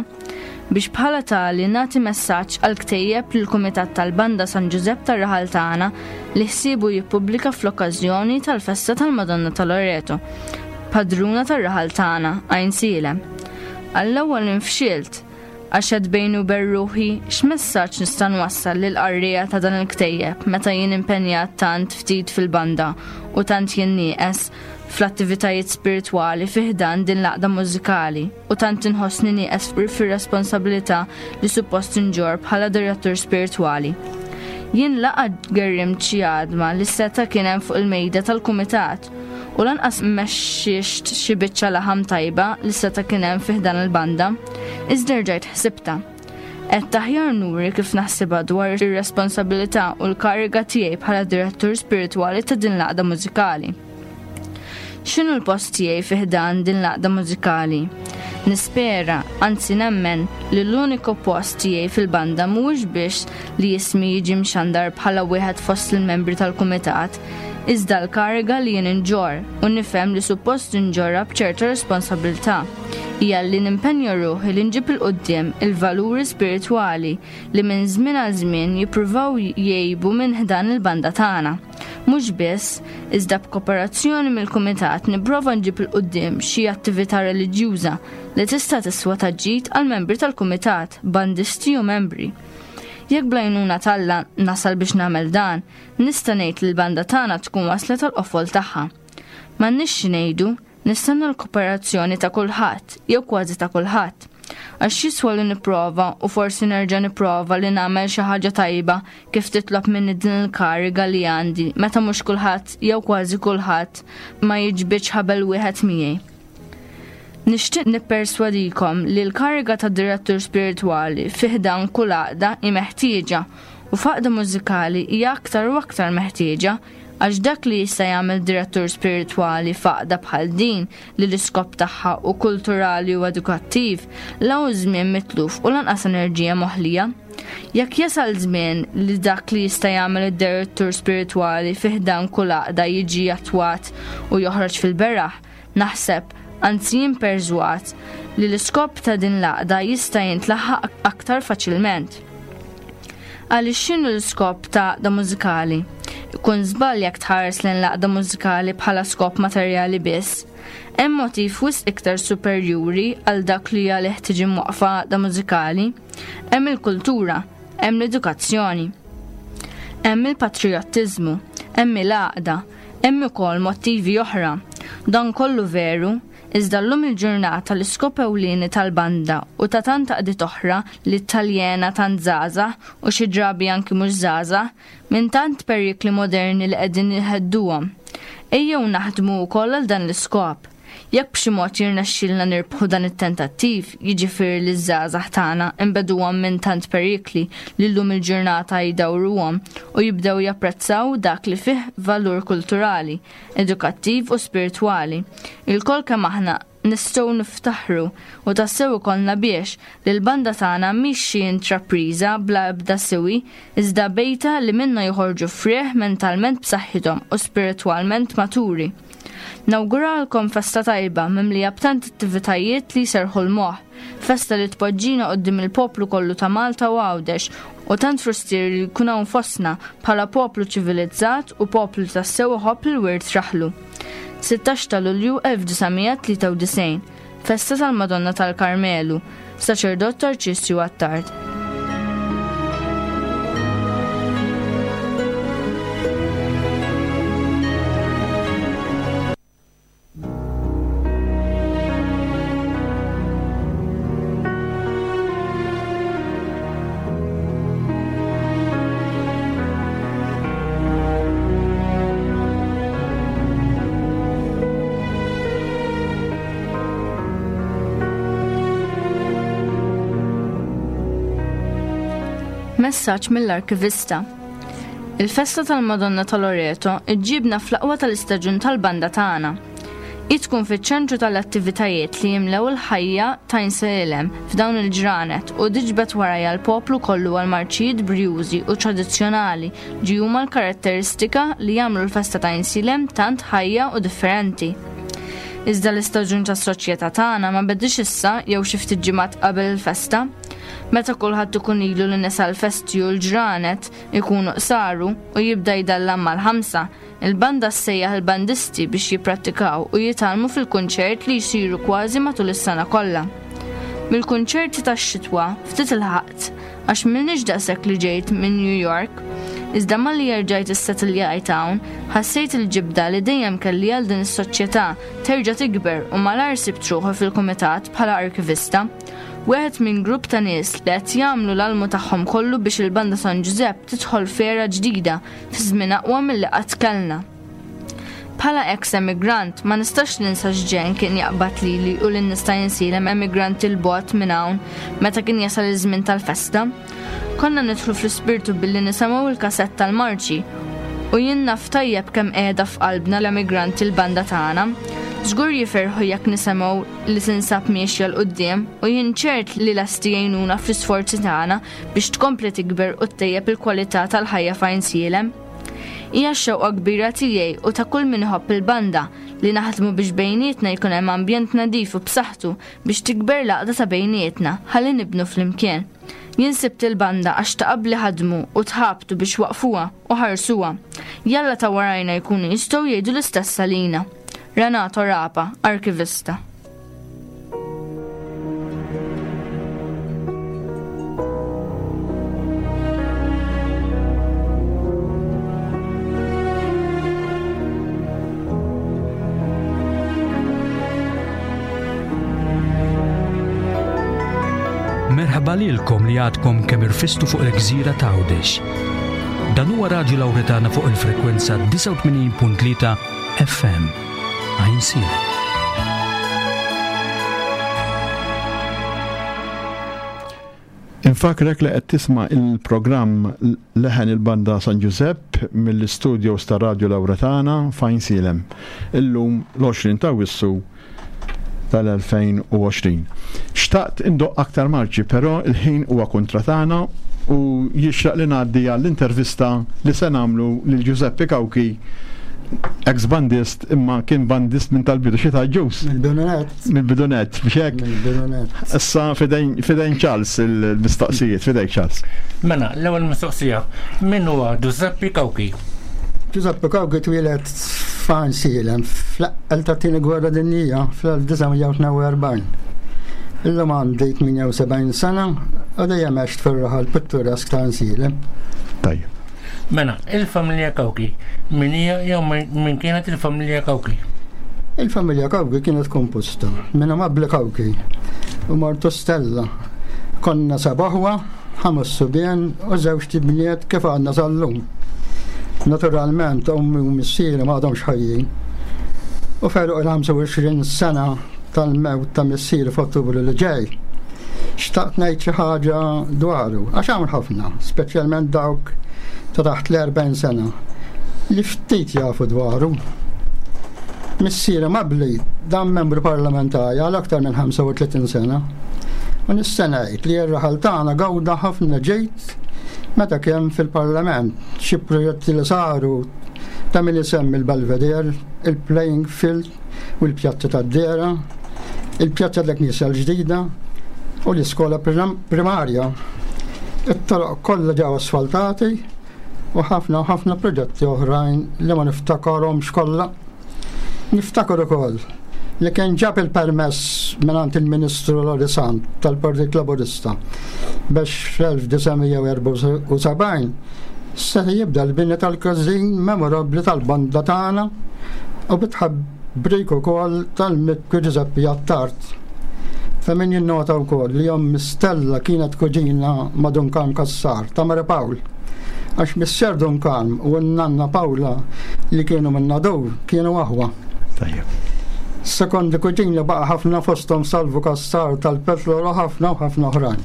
biex bħala tali nagħti messaġġ għal ktejjeb li l-Kumitat tal-Banda San Ġużepp tar-raħal tagħna li ħsiebu jippubblika fl-okkażjoni tal-festa tal-Madonna ta' Loreto, padruna tar-raħal tagħna, Għajnsielem. Għall-ewwel infxilt, Għax għedt bejni u bejn ruħi, x'messaġġ nista' nwassal lill-qarrieja ta' dan il-ktejjeb meta jien impenjat tant ftit fil-banda u tant jien nieqes fl-attivitajiet spiritwali fi ħdan din l-għaqda mużikali u tant inħossni nieqes fir-responsabilità li suppost inġorr bħala direttur spiritwali. Jien la qatt gerrimt xi għadma li seta' kien hemm fuq il-mejda tal-kumitat u lanqas mexxixt xi biċċa laħam tajba li seta' kien hemm fi ħdan il-banda, iżda rġajt ħsibtha. Għedt aħjar nuri kif naħsibha dwar ir-responsabilità u l-kariga tiegħi bħala direttur spiritwali ta' din l-għaqda mużikali. X'inhu l-post tiegħi fi ħdan din l-għaqda mużikali? Nispera, anzi nemmen, li l-uniku post tiegħi fil-banda mhuwiex biex li ismi jiġi mxandar bħala wieħed fost il-membri tal-kumitat, iżda l-kariga li jien inġorr, u nifhem li suppost inġorrha b'ċerta responsabbiltà, hija li nimpenja ruħi li nġib 'il quddiem il-valuri spiritwali li minn żmien għal żmien jippruvaw jgħibu minn ħdan il-banda tagħna. Mhux biss, iżda b'koperazzjoni mill-kumitat nipprova nġib 'il quddiem xi attività reliġjuża li tista' tiswa ta' ġid għall-membri tal-kumitat, bandisti u membri. Jekk bl-għajnuna t'Alla nasal biex nagħmel dan, Nista' ngħid li l-banda tagħna tkun waslet għall-qofol tagħha. M'għandniex xi ngħidu, nistenna l-koperazzjoni ta' kulħadd, jew kważi ta' kulħadd. Għax x'jiswa li nipprova u forsi nerġa' nipprova li nagħmel xi ħaġa tajba kif titlob minni din il-kariga li għandi meta mhux kulħadd jew kważi kulħadd ma jiġbidx ħabel wieħed miegħi. Nixtieq nipperswadikom li l-kariga ta' direttur spiritwali fi ħdan kull għaqda hi meħtieġa u f'għaqda mużikali hija aktar u aktar meħtieġa għax dak li jista' jagħmel direttur spiritwali f'għaqda bħal din li l-iskop tagħha hu kulturali u edukattiv la hu żmien mitluf u lanqas enerġija moħlija. Jekk jasal żmien li dak li jista' jagħmel id-direttur spiritwali fi ħdan kull għaqda jiġi attwat u joħroġ fil-beraħ, Naħseb, anzi jien perswad, li l-iskop ta' din l-għaqda jista' jintlaħaq aktar faċilment. Għaliex x'inhu l-iskop ta' għaqda mużikali? Ikun żball jekk tħares lejn l-għaqda mużikali bħala skop materjali biss. Hemm motiv wisq iktar superjuri għal dak li għalih tiġi mwaqqfa għaqda mużikali. Hemm il-kultura, hemm l-edukazzjoni. Hemm il-patrijottiżmu, hemm il-għaqda, Hemm ukoll mottivi oħra. Dan kollu veru, iżda llum il-ġurnata l-iskop ewlieni tal-banda u ta' tant għaqdiet oħra li taljena tant żgħażagħ u xi drabi anki mhux żgħażagħ, minn tant perikli moderni li qegħdin jhedduhom. Ejjew naħdmu wkoll għal dan l-iskop. Jekk b'xi mod jirnexxilna nirbħu dan it-tentattiv, jiġifieri li ż-żgħażagħ tagħna nbegħduhom minn tant perikli li llum il-ġurnata jdawruhom u jibdew japprezzaw dak li fih valur kulturali, edukattiv u spiritwali, ilkoll kemm aħna. Nistgħu niftaħru u tassew ikollna biex li l-banda tagħna mhix xi intrapriża bla ebda siwi iżda bejta li minnha joħorġu frieħ mentalment b'saħħithom u spiritwalment maturi. Nawguralkom festa tajba mimlija b'tant attivitajiet li jserrħu l-moħħ, festa li tpoġġina quddiem il-poplu kollu ta' Malta u Għawdex u tant frustieri li jkun hawn fostna bħala poplu ċivilizzat u poplu li tassew iħobb l-wirt raħlu. 16 ta' Lulju 1993, Festa tal-Madonna tal-Karmelu, Saċerdot Tarċisju Attard. Messaġġ mill-Arkivista Il-festa tal-Madonna ta' Loreto ġġibna fl-aqwa tal-istaġun tal-banda tagħna. Hi tkun fiċ-ċentru tal-attivitajiet li jimlew il-ħajja ta' Għajnsielem f'dawn il-ġranet u tiġbed warajha l-poplu kollu għall-marċijiet brjużi u tradizzjonali li huma l-karatteristika li jagħmlu l-festa ta' Għajnsielem tant ħajja u differenti. Iżda l-istaġun tas-soċjetà tagħna ma bediex issa jew xi ftit ġimgħat qabel il-festa. Meta kulħadd ikun ilu li nesa l-festi u l-ġranet ikunu qsaru u jibda jdallam mal-ħamsa, Il-banda ssejjaħ il-bandisti biex jipprattikaw u jitgħallmu fil-kunċert li jsiru kważi matul is-sena kollha. Mill-kunċerti tax-xitwa ftit ilħaqt għax m'ilniex daqshekk li ġejt minn New York. Iżda malli erġajt issetiljajt hawn, ħassejt il-ġibda li dejjem kelli għal din is-soċjetà terġa' tikber u malajr sibt ruħi fil-kumitat bħala arkivista. Wieħed minn grupp ta' nies li qed jagħmlu l-almu tagħhom kollu biex il-Banda San Ġużepp tidħol f'era ġdida fi żmien aqwa milli qatt kellna. Bħala eks emigrant, ma nistax ninsa x'ġenn kien jaqbad lili u lin-nies ta' Għinsielem emigranti 'l bogħod minn hawn meta kien jasal iż-żmien tal-festa. Konna nidħlu fl-ispirtu billi nisemgħu l-kasett tal-marċi u jien naf tajjeb kemm qiegħda f'qalbna l-emigranti l-banda tagħna. Żgur jifirħu jekk nisemgħu li tinsab miexja 'l quddiem u jien ċert li lesti jgħinuna fl-isforzi tagħna biex tkompli tikber u ttejjeb il-kwalità tal-ħajja f'Għajnsielem. Hija x-xewqa kbira tiegħi u ta' kull min iħobb il-banda li naħdmu biex bejnietna jkun hemm ambjent nadif u b'saħħtu biex tikber l-għaqda ta' bejnietna ħalli nibnu flimkien. Jien sibt il-banda għax ta' qabli ħadmu u tħabtu biex waqqfuha u ħarsuha. Jalla ta' warajna jkunu jistgħu jgħidu l-istess għalina. Renato Rapa, Arkivista. Merħba lilkom li għadkom kemm irfistu fuq il-gżira ta' Għawdex. Dan huwa Radju Lawretana fuq il-frekwenza 89.3 FM. Għajnsielem. Infakrek li qed tisma' il-programm Leħen il-Banda San Ġużepp mill-istudios ta' Radju Lawretana f'Għajnsielem. Illum l-20 ta' Awwissu tal-2020. Xtaqt indoqq aktar marċi, però l-ħin huwa kontra tagħna u jixraq li ngħaddi għall-intervista li se nagħmlu lil Giuseppe Cauchi, ex bandist imma kien bandist minn tal-bidu xi tgħid Ġus? Mill-bidunet. Mill-bidunet, biex hekk. Mill-bidunet. Issa fidejn fidejn Charles il-mistoqsijiet, fidejk Charles. Mela, l-ewwel mistoqsija, min huwa Giuseppe Cauchi? Giuseppe Cauchi twieled f'Għajnsielem fl-eqqel tat-Tieni Gwerra Dinjija fl-1942. Illum għandi 78 sena u dejjem għext fir-raħal pitturesk ta' Għajnsielem. Tajjeb. Mela, il-familja Cauchi, min hija jew min kienet il-familja Cauchi? Il-familja Cauchi kienet komposta minn Amabli Cauchi u martu Stella. Konna seba' aħwa, ħames subien u żewġt ibniet kif għadna sal-lum. Naturalment, ommi u missieri ma għadhomx ħajjin. U f'għeluq il-25 sena tal-mewt ta' missieri f'Ottubru li ġej, xtaqt ngħid xi ħaġa dwaru, għax hawn ħafna, speċjalment dawk ta' taħt l-40 sena, li ftit jafu dwaru. Missieri Mabli dam membru parlamentari għal aktar minn 35 sena. U nista' ngħid li r-raħal tagħna gawda ħafna ġid meta kien fil-Parlament. Xi proġetti li saru ta' min isemmi l-Belvedere, il-playing field u l-pjazza tad-Dera, il-pjazza tal-Knisja l-ġdida u l-iskola primarja. It-toroq kollha ġew asfaltati u ħafna u ħafna proġetti oħrajn li ma niftakarhomx kollha. Niftakar ukoll li kien ġab il-permess mingħand il-Ministru Lori Sant tal-Partit Laburista biex fl-1974 seta' jibda l-bini tal-każin memorabbli tal-banda tagħna u bit-tħabbrik ukoll tal-Mikki Ġużeppi Attard. Ta' min jinnota wkoll li ommi Stella kienet kuġina ma' Dun Karm Cassar ta' Mary Paul. Għax missier Dun Karm u n-nanna Pawla li kienu minn Nadur kienu aħwa. Tajjeb. Sekondi kuġini baqa' ħafna fosthom Salvu Cassar tal-Petrol u ħafna u ħafna oħrajn.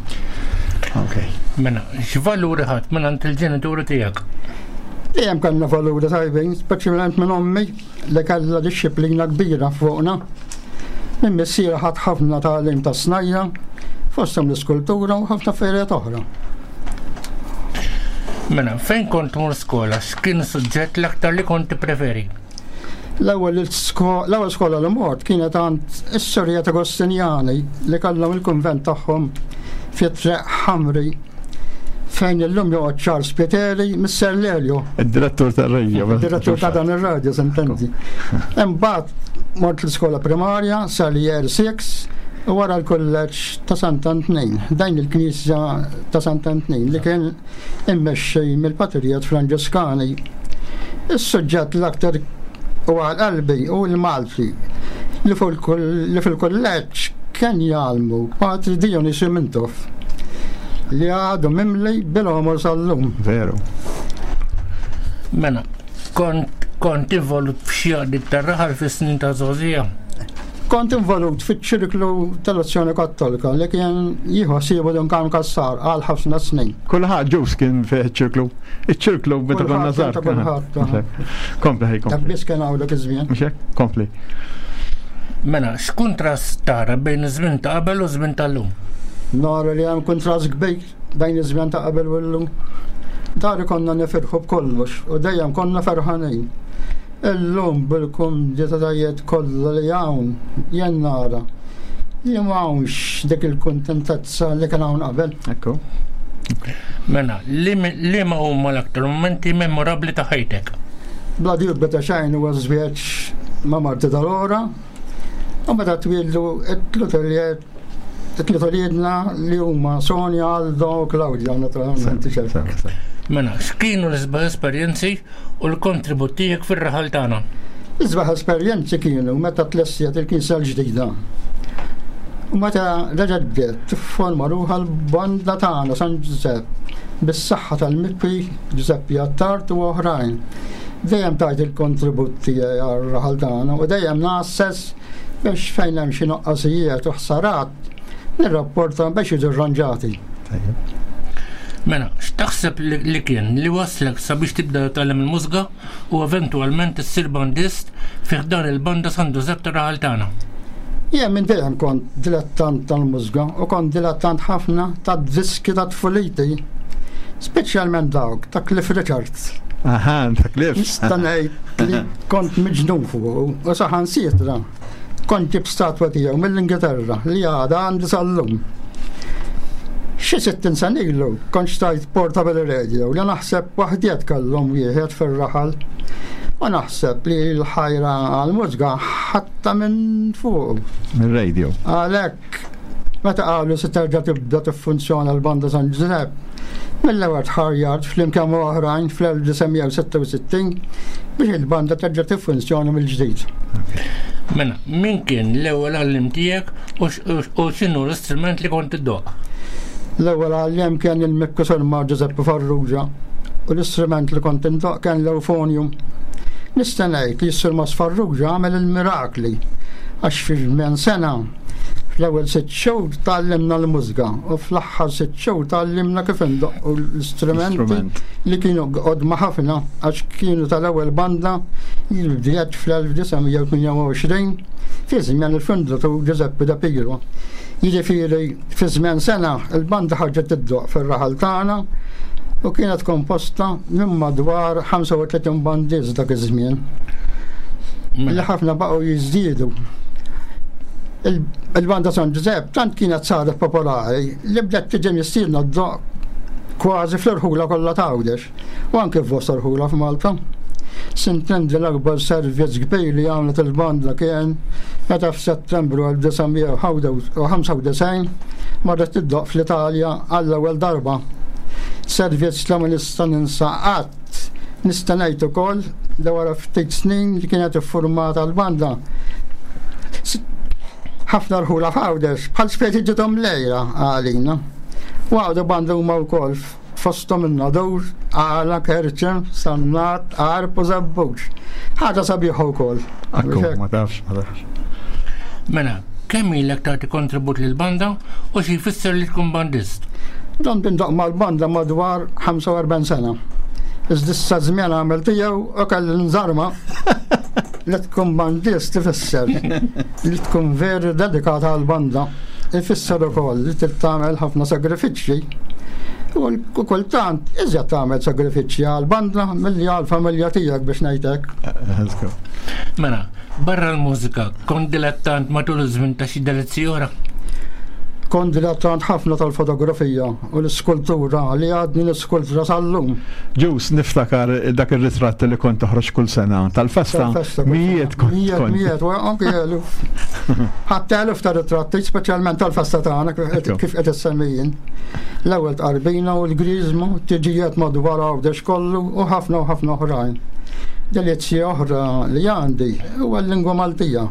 Ok. Mela, x'valuri ħadt mingħand il-ġenituri tiegħek? Dejjem kellna valuri tajbin, speċjalment minn ommi li kellha dixxiplina kbira fuqna. Minn missieri ħadt ħafna tagħlim ta' snajja, fosthom l-iskultura u ħafna affarijiet oħra. Mela, fejn kont tmur skola, x'kien suġġett l-aktar li kont tippreferi? L-ewwel l-ewwel skola li mort kienet għand is-Sorijiet Agostinjani li kellhom il-kunvent tagħhom fi Triq Ħamri fejn illum joqgħod Charles Pieteri Mister Lelio. Id-direttur tar-radio. Id-direttur ta' dan ir-radio, sentenzi. Imbagħad mort l-iskola primarja sal-year 6 u wara l-kulleġġ ta' Sant'Antnin, dajn il-knisja ta' Sant'Antnin li kien immexxi mill-Patrijiet Franġiskani. Is-suġġett l-aktar u għal qalbi hu l-Malti li fil-kulleġġ kien jgħallmu Patri Dionisju Mintoff li għadu mimli bil-għomor sal-lum. Veru. Mela, kont kont involut f'xi għaqdiet tar-raħal fis-snin ta' żgħożija? Kont involut fiċ-ċirklu tal-Azzjoni Kattolika li kien jieħu ħsiebu Dun Karm Cassar għal ħafna snin. Kulħadd ġus kien fih iċ-ċirklu. Iċ-ċirklu meta konna żgħar. Kompli ħej kompli. Dak biss kien hawn dak iż-żmien. Mhux hekk? Kompli. Mela, x'kuntrast tara bejn iż-żmien ta' qabel u żmien tal-lum? Nara li hemm kuntrast kbir bejn iż-żmien ta' qabel u llum. Dari konna nifirħu b'kollox u dejjem konna ferħanin. Illum bil-kumditajiet kollha li hawn jien nara li m'hawnx dik il-kuntentezza li kien hawn qabel. Ekku. Mela, liema huma l-aktar mumenti memorabbli ta' ħajtek? Bla dubju ta' xejn huwa ż-żwieġ ma' marti tal-ora u meta twieldu t-tliet uliedna li huma Sonja, Aldo u Claudia naturalment. Mela, x'kienu l-isbaħ esperjenzi u l-kontribut tiegħek fir-raħal tagħna. L-isbaħ esperjenzi kienu meta tlestiet il-knisja l-ġdida. U meta reġgħet bdiet tifforma ruħha l-banda tagħna San Ġużepp bis-saħħa tal-Mikki Ġużeppi Attard u oħrajn. Dejjem tajt il-kontribut tiegħi għar-raħal tagħna u dejjem ngħasses biex fejn hemm xi noqqasijiet u ħsarat nirrapporta biex jiġu rranġati. Mela, x'taħseb li kien li waslek sabiex tibda tgħallem il-mużika u eventwalment issir bandist fi ħdan il-banda San Ġużepp tar-raħal tagħna? Jien minn dejjem kont dilettant tal-mużika u kont dilettant ħafna tad-diski ta' tfuliti, speċjalment dawk ta' Cliff Richards. Aha, ta' Cliff. Nista' ngħid li kont miġnun fuqu u saħansitra Kont ġibt statwa tiegħu mill-Ingilterra li għadha għandi sal-lum. Xi 60 sena ilu kont xtrajt portable radio li naħseb waħdiet kellhom wieħed fir-raħal u naħseb li l-ħajra għall-mużga ħadtha minn fuqu. Mir-radio. Għalhekk meta qalu se terġa' tibda tiffunzjona l-Banda San Ġużepp, mill-ewwel tħarjart flimkien ma' oħrajn fl-1966 biex il-banda terġa' tiffunzjona mill-ġdid. Mela, min kien l-ewwel għalliem tiegħek u x'inhu l-istrument li kont iddoqq? L-ewwel għalliem kien il-Mikku Surma Giuseppe Farrugia u l-istrument li kont indoqq kien l-euphonium. Nista' ngħid li s-Surmas Farrugia għamel il-mirakli għax fi żmien sena. Fl-ewwel sitt xhur tgħallimna l-mużika u fl-aħħar sitt xhur tgħallimna kif indoqqu l-istrumenti li kienu qodma ħafna għax kienu tal-ewwel banda li bdiet fl-1928 fi żmien il-fundatur Giuseppe Da Piro. Jiġifieri fi żmien sena il-banda ħarġet iddoqq fir-raħal tagħna u kienet komposta minn madwar 35 bandist dak iż-żmien. Li ħafna baqgħu jiżdiedu. Il-banda San Ġużepp tant kienet saret popolari li bdiet tiġi mistiedna ddoqq kważi fl-irħula kollha ta' Għawdex u anke f'bosta rħula f'Malta. Sintendi l-akbar servizz kbir li għamlet il-banda kien meta f'Settembru 1995 marret iddoqq fl-Italja għall-ewwel darba. Servizz li ma nista' ninsa qatt. Nista' ngħid ukoll li wara ftit snin li kienet iffurmata l-banda, ħafna rħula f'Għawdex bħal speċi ġiethom lejla għalina. U għawdu banda huma wkoll fosthom in-Nadur, Għala, Kerċem, Sannat, Għarb u Żebbuġ. Ħaġa sabiħa wkoll. Akku, ma tafx, ma tafx. Mela, kemm ilek tagħti kontribut lill-banda u xi jfisser li tkun bandist? Domt indoqq mal-banda madwar 45 sena. Iżda issa żmien għamel tiegħu u kelli nżarma. Li tkun bandist ifisser li tkun veru dedikata għall-banda. Ifisser ukoll li trid tagħmel ħafna sagrifiċċji. U kultant iżjed tagħmel sagrifiċċji għall-banda milli għall-familja tiegħek biex ngħid hekk. Mela, Barra l-mużika, kont dilettant matul iż-żmien ta' xi delizzji oħra? Kont dilettant ħafna tal-fotografija u l-iskultura li għadni niskultura sal-lum. Ġus, niftakar dak ir-ritratt li kont toħroġ kull sena tal-festa. Mijiet kont. Mijiet, mijiet, u anke eluf. Ħadd eluf ta' ritratti, speċjalment tal-festa tagħna kif qed issemmi jien. L-ewwel tqarbina u l-griżmu, tiġijiet madwar Għawdex kollu u ħafna u ħafna oħrajn. Delizzji oħra li għandi huwa l-lingwa Maltija.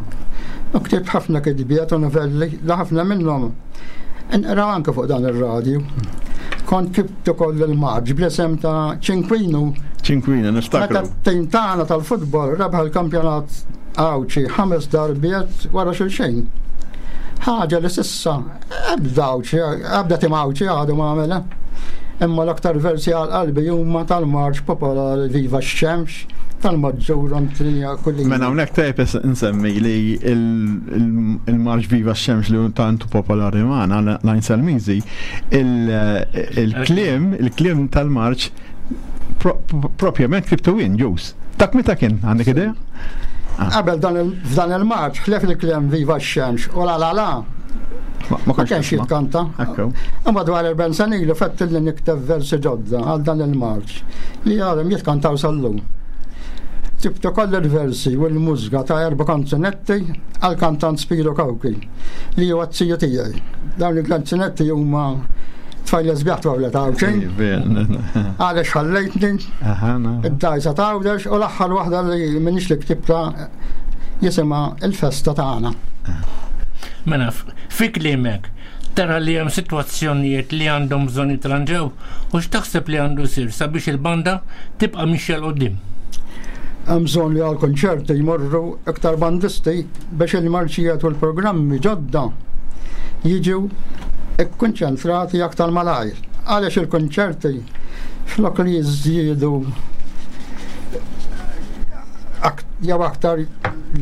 U ktibt ħafna kitbiet u novelli li ħafna minnhom inqraw anke fuq dan ir-radju. Kont ktibt ukoll il-marġ bl-isem ta' Ċinkwinu. Ċinkwinu, niftakru. Meta t-tim tagħna tal-futbol rebaħ il-kampjonat Għawdxi ħames darbiet wara xulxejn. Ħaġa li s'issa Ebda Għawdxi, ebda tim Għawdxi għadu ma għamilha. Imma l-aktar versi għal qalbi huma tal-marċ popolari Viva x-Xemx, tal-Maġġur Antonija Kulina. Mela hawnhekk tajjeb insemmi li il-marċ Viva x-Xemx li tantu popolari magħna Lajn Salmizi, il-kliem, il-kliem tal-marċ propjament ktibtu jien ġus. Dak meta kien għandek idea? Ah. Qabel f'dan il-marċ ħlef il-kliem Viva x-Xemx u la la la. Ma kienx jitkanta. Imma dwar il-ben senilu fett li nikteb versi ġodda għal dan il-marċ li għadhom jitkantaw sal-lum. Tibtu koll il-versi u l-mużga ta' erba' kanzunetti għal kantant Spiro Kawki li huwa t-tiju tiegħi. Dawn il-kanzunetti huma tfajla sbieħ twawla ta' Għawdxin. Għaliex ħallejtni, id-dajsa ta' Għawdex u l-aħħar waħda li minix li ktibta jisimha il-festa tagħna. Mela, fi kliemek, tara li hemm sitwazzjonijiet li għandhom bżonn jitranġaw u x'taħseb li għandu jsir sabiex il-banda tibqa' mixja 'l quddiem? Hemm bżonn li għall-kunċerti jmorru iktar bandisti biex il-marċijiet u l-programmi ġodda jiġu kkonċentrati aktar malajr. Għaliex il-kunċerti flok li jiżdiedu jew aktar li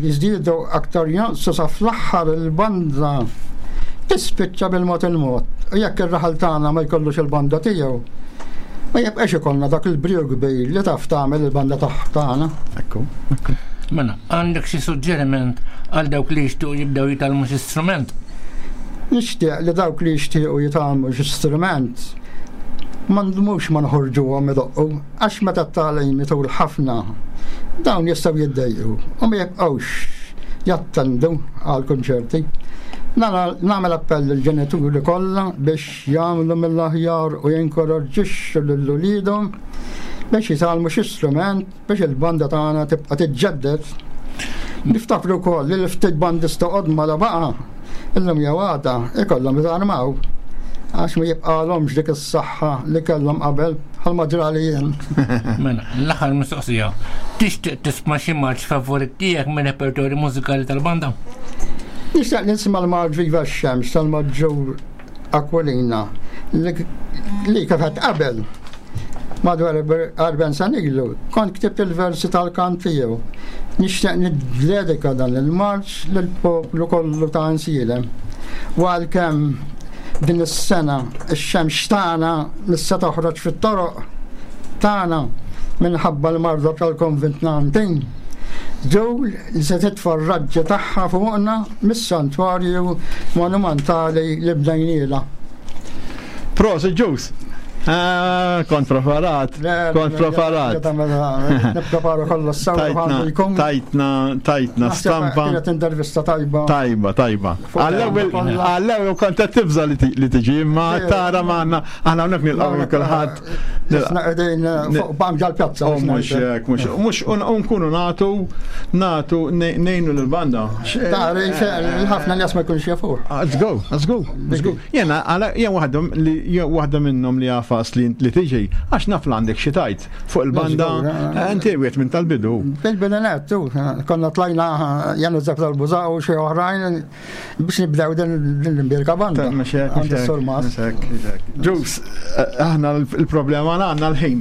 jiżdiedu aktar jonqsu sa fl-aħħar il-banda tispiċċa bil-mod il-mod. U jekk ir-raħal tagħna ma jkollux il-banda tiegħu, ma jibqax ikollna dak il-briju kbir li taf tagħmel il-banda tagħna. Ekku, ekku. Mela, għandek xi suġġeriment għal dawk li jixtiequ jibdew jitgħallmu xi strument? Nixtieq li dawk li jixtiequ jitgħallmu xi strument ma ndmux ma noħorġuhom idoqqu għax meta t-tagħlim itul ħafna dawn jistgħu jiddejqu u ma jibqgħux jattendu għal kunċerti. Nagħmel appell lill-ġenituri kollha biex jagħmlu mill-aħjar u jinkoraġġixxu lil uliedhom biex jitgħallmu xi strument biex il-banda tagħna tibqa' tiġġedded. Niftakru wkoll li l-ftit bandista qodma la baqa' illum jew għada ikollhom jitarmaw għax ma jibqalhomx dik is-saħħa li kellhom qabel bħalma ġrali jien. Mela, l-aħħar mistoqsija. Tixtieq tisma' xi marċ favorit tiegħek minn repertorju mużikali tal-banda? Nixtieq nisma' l-Marġ Viva x-Xemx tal-Maġġur Aquilina li kif għedt qabel madwar 40 sena ilu kont ktibt il-versi tal-kant tiegħu. Nixtieq niddedika dan il-marċ lill-poplu kollu ta' Għajnsielem. U għalkemm din is-sena x-xemx tagħna mhix se toħroġ fit-toroq tagħna minħabba l-marda tal-Covid-19, żgur li se titfa' r-raġġi tagħha fuqna mis-santwarju monumentali li bnejnielha. Prosit ġus. Ah, kont preparat, kont preparat. Nippreparu kollox sew għandu jkun. Tajtna, tajtna stampa. Kienet intervista tajba. Tajba, tajba. Għall-ewwel kont qed tibża li tiġi, imma tara magħna aħna hawnhekk nilqgħu lil kulħadd. Isna qegħdin fuq bank ġal-pjazza. Oh, mhux hekk, mhux mhux nkunu nagħtu nagħtu ngħinu lill-banda. Tara, ħafna nies ma jkunx jafuh. Ah, let's go, let's go, let's go. Jena, jien waħda li waħda minnhom li għafas li li tiġi, għax naf li għandek xi tajt fuq il-banda, eh, inti wieħed minn tal-bidu. Fil-bidu nettu, konna tlajna jenu zef tal-buża u xi oħrajn biex nibdew din l-imbirka banda. Ġus, eh, aħna l-problema għandna l-ħin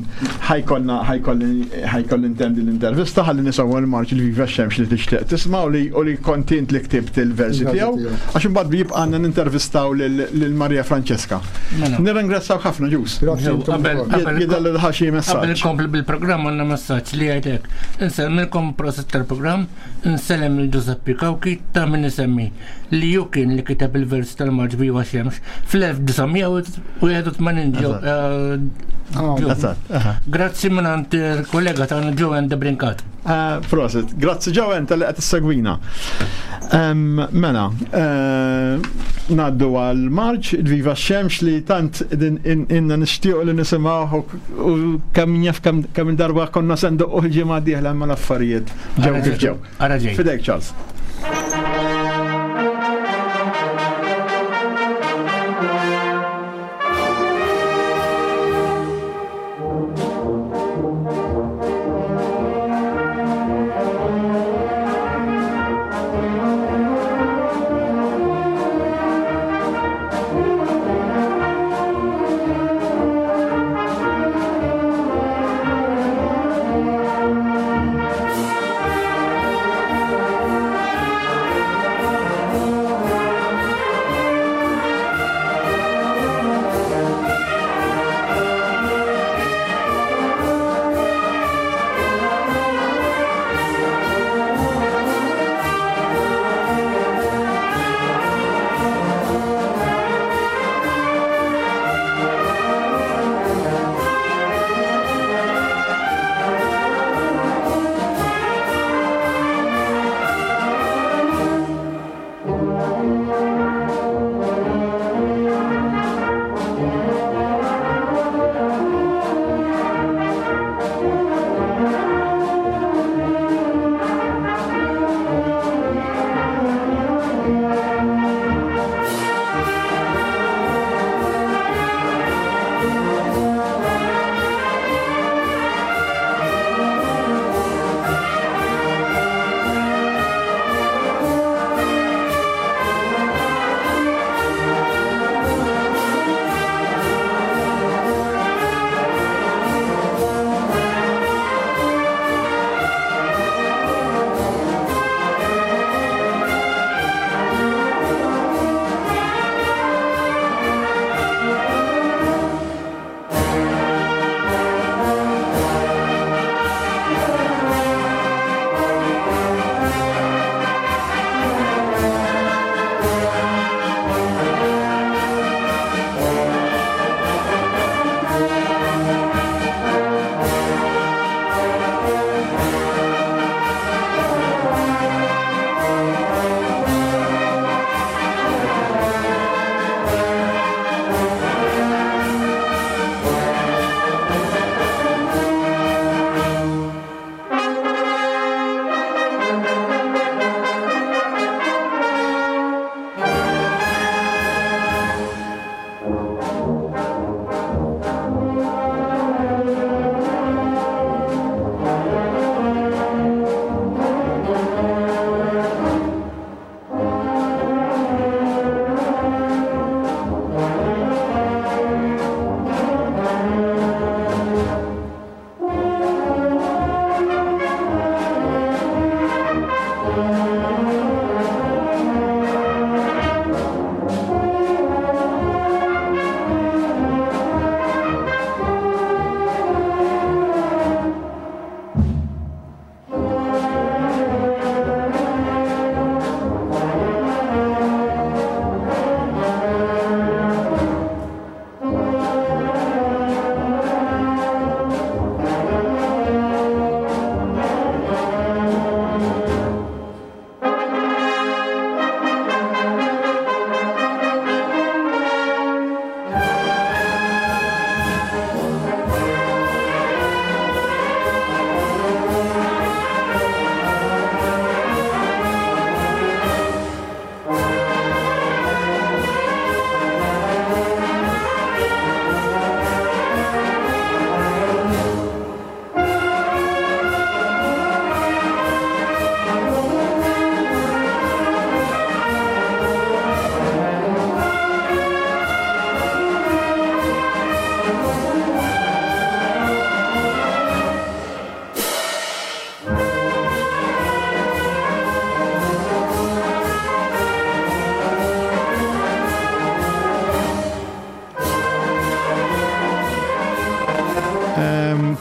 ħajkollna ħajkolli intemm din l-intervista ħalli nisimgħu l-marċ li viva xemx li tixtieq tisma' u li u li kontint li ktibt il-versi tiegħu għax imbagħad jibqa' għandna nintervistaw lil Maria Francesca. Mela. Nirringrazzjaw ħafna ġus. Jidher li ħaxi messaġġ. Qabel inkompli bil-programm għandna messaġġ li jgħidlek. Insellmilkom proset tal-programm, insellem lil Giuseppe Cauchi ta' min isemmi li hu kien li kiteb il-versi tal-Marċ Viva Xemx fl-1981 ġew. Eh, Grazzi mingħand il-kollega tagħna Joanne de Brincat. Eh, prosit, grazzi Joanne tal-li qed issegwina. Mela, eh, naddu għal Marċ, il-Viva Xemx li tant inna nixtiequ li nisimgħu u kemm jaf kemm darba konna senduq il-ġimgħa dieħla ma l-affarijiet ġew kif ġew. Ara ġej. Fidejk, Charles.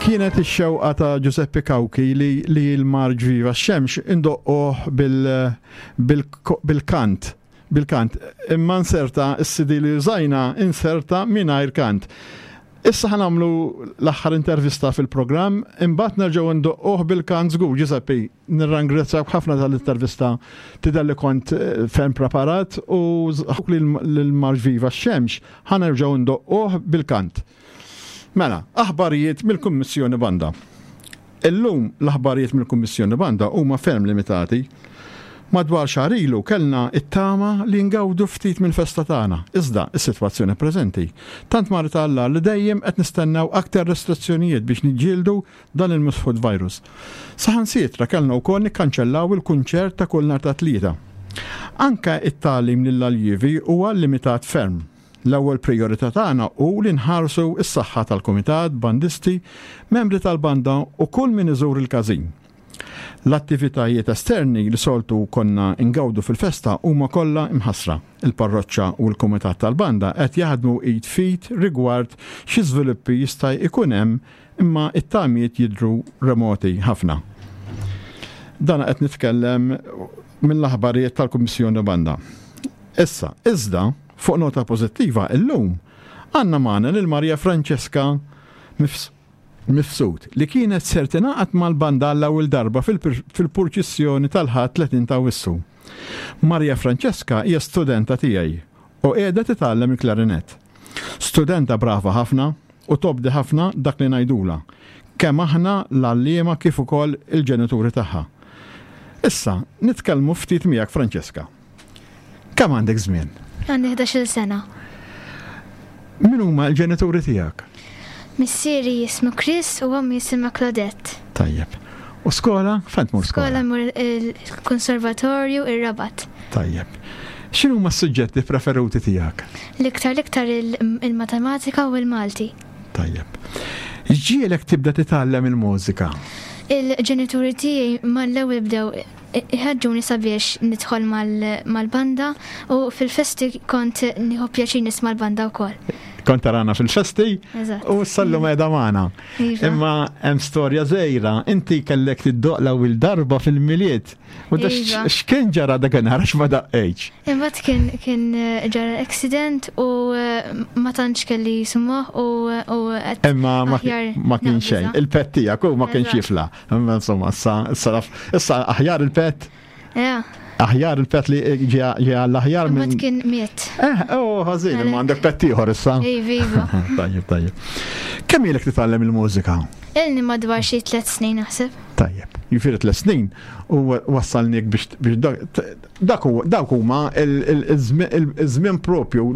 Kienet ix-xewqa ta' Giuseppe Cauchi li, li l-marġ Viva x-Xemx indoqqoh bil-kant. Bil-kant. Imma nserta s-CD li użajna inserta mingħajr kant. Issa ħa nagħmlu l-aħħar intervista fil-programm, imbagħad nerġgħu ndoqquh bil-kant żgur. Giuseppe, nirrangrazzjak ħafna tal-intervista tidher li kont eh, ferm preparat u li l-Marx Viva x-Xemx ħa nerġgħu ndoqquh bil-kant. Mela, aħbarijiet mill-Kummissjoni Banda. Illum l-aħbarijiet mill-Kummissjoni Banda huma ferm limitati. Madwar xahar ilu kellna t-tama li ngawdu ftit mill-festa tagħna, iżda s-sitwazzjoni preżenti tant marret għall-agħar li dejjem qed nistennew aktar restrizzjonijiet biex niġġieldu dan il-misħut virus. Saħansitra kellna wkoll nikkanċellaw il-kunċert ta' kull nhar ta' Tlieta. Anke t-tagħlim lill-aljievi huwa limitat ferm. L-ewwel prijorità tagħna hu li nħarsu s-saħħa tal-kumitat, bandisti, membri tal-banda u kull min iżur il-każin. L-attivitajiet esterni li soltu konna ngawdu fil-festa huma kollha mħassra. Il-parroċċa u l-kumitat tal-banda qed jaħdmu id f'id rigward xi żviluppi jista' jkun hemm imma t-tamiet jidhru remoti ħafna. Dan qed nitkellem mill-aħbarijiet tal-Kummissjoni Banda. Issa, iżda, Fuq nota pożittiva illum għandna magħna lil Maria Francesca Mifsud li kienet ser tingħaqad mal-banda għall-ewwel darba fil-purċissjoni tal-Ħadd 30 ta' Awwissu. Maria Francesca hija studenta tiegħi u qiegħda titgħallem il-klarinett. Studenta brava ħafna u tobdi ħafna dak li ngħidulha, kemm aħna l-għalliema kif ukoll il-ġenituri tagħha. Issa, nitkellmu ftit miegħek Francesca. Kemm għandek żmien? Għandi 11-il sena. Min huma l-ġenituri tiegħek? Missieri jismu Chris u ommi jisimha Claudette. Tajjeb. U skola? Fejn tmur skola? Skola mur il-konservatorju ir-Rabat. Tajjeb. X'inhu huma s-suġġetti preferuti tiegħek? L-iktar l-iktar il-matematika u l-Malti. Tajjeb. X'ġiegħlek tibda titgħallem il-mużika? Il-ġenituri tiegħi mal-ewwel bdew iħeġġuni sabiex nidħol mal-banda u fil-festi kont nieħu pjaċir nisma' l-banda wkoll. Kont tarana fil-festi u s-sallum qiegħda magħna. Iva. Imma hemm storja żgħira, inti kellek tiddoq l-ewwel darba fil-Milied. U da Iva. x'kien ġara dakinhar għax ma daqqejtx? Imbagħad kien kien eh, ġara accident u eh, ma tantx kelli summoħ u u qed Imma ma aħjar ma kien xejn. naqbiżha. Il-pet tiegħek u ma kienx Eżatt. jifla. Imma insomma, issa issa issa aħjar il-pet, Ja, aħjar il-pet li ġie għall-aħjar minn. imbagħad kien miet. Eh, oh, ħażin, imma għandek pet ieħor issa. Iva, iva. Tajjeb, tajjeb. Kemm ilek titgħallem il-mużika? Ilni madwar xi tliet snin naħseb. Tajjeb. Jifieri tliet snin u wassalniek biex biex dak huwa dawk huma il-żmien propju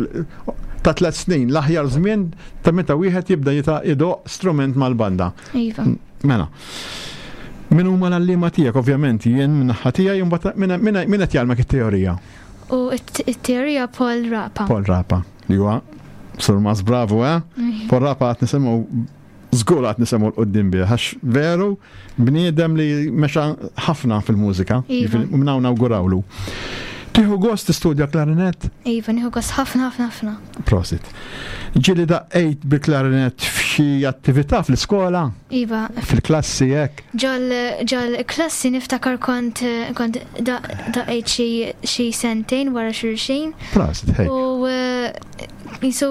ta' tliet snin, l-aħjar żmien ta' meta wieħed jibda jita' idoq strument mal-banda. Iva. Mela. Min huma l-għalliema tiegħek ovvjament jien minn naħa tiegħi u mbagħad min min qed jgħallmek it-teorija? U it-teorija Paul Rapa. Paul Rapa, li huwa Sur Mas Bravo, eh? Paul Rapa qed nisimgħu Żgur għad nisemgħu 'l quddiem bih għax veru bniedem li mexa ħafna fil-mużika. Iva. U minn hawn nawgurawlu. Tieħu gost tistudja klarinett? Iva, nieħu gost ħafna ħafna ħafna. Prosit. Ġieli daqqejt bil-klarinett f'xi attività fl-iskola? Iva. Fil-klassi hekk? Ġol ġol klassi niftakar kont kont daqqejt xi sentejn wara xulxin. Prosit, hej. U eh, Jisu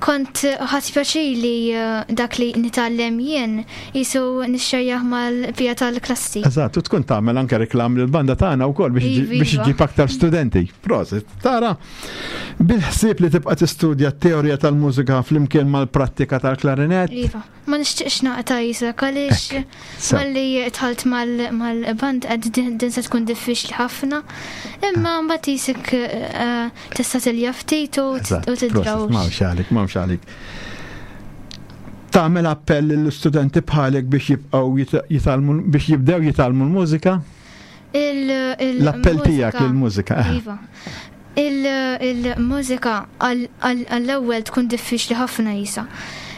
kont ħadd pjaċir li eh, dak li nitgħallem jien jisu nixxerjah mal-pija tal-klassi. Eżatt, u tkun tagħmel anke reklam lill-banda tagħna wkoll biex Iva, biex iva. iġib aktar studenti. Prosit, tara bil-ħsieb li tibqa' tistudja t-teorija tal-mużika flimkien mal-prattika tal-klarinett. Iva. Ma nixtieqx naqta' isek għaliex malli dħalt mal-band qed din se tkun diffiċli ħafna. Imma mbagħad isek eh, tista' tilja ftit u tidraw. M'hawnx għalik, m'hawnx għalik. Tagħmel appell lill-istudenti bħalek biex jibqgħu jitgħallmu biex jibdew jitgħallmu l-mużika? L-appell tiegħek lill-mużika. Eh. Iva. Il-mużika għall-ewwel tkun diffiċli ħafna jisa.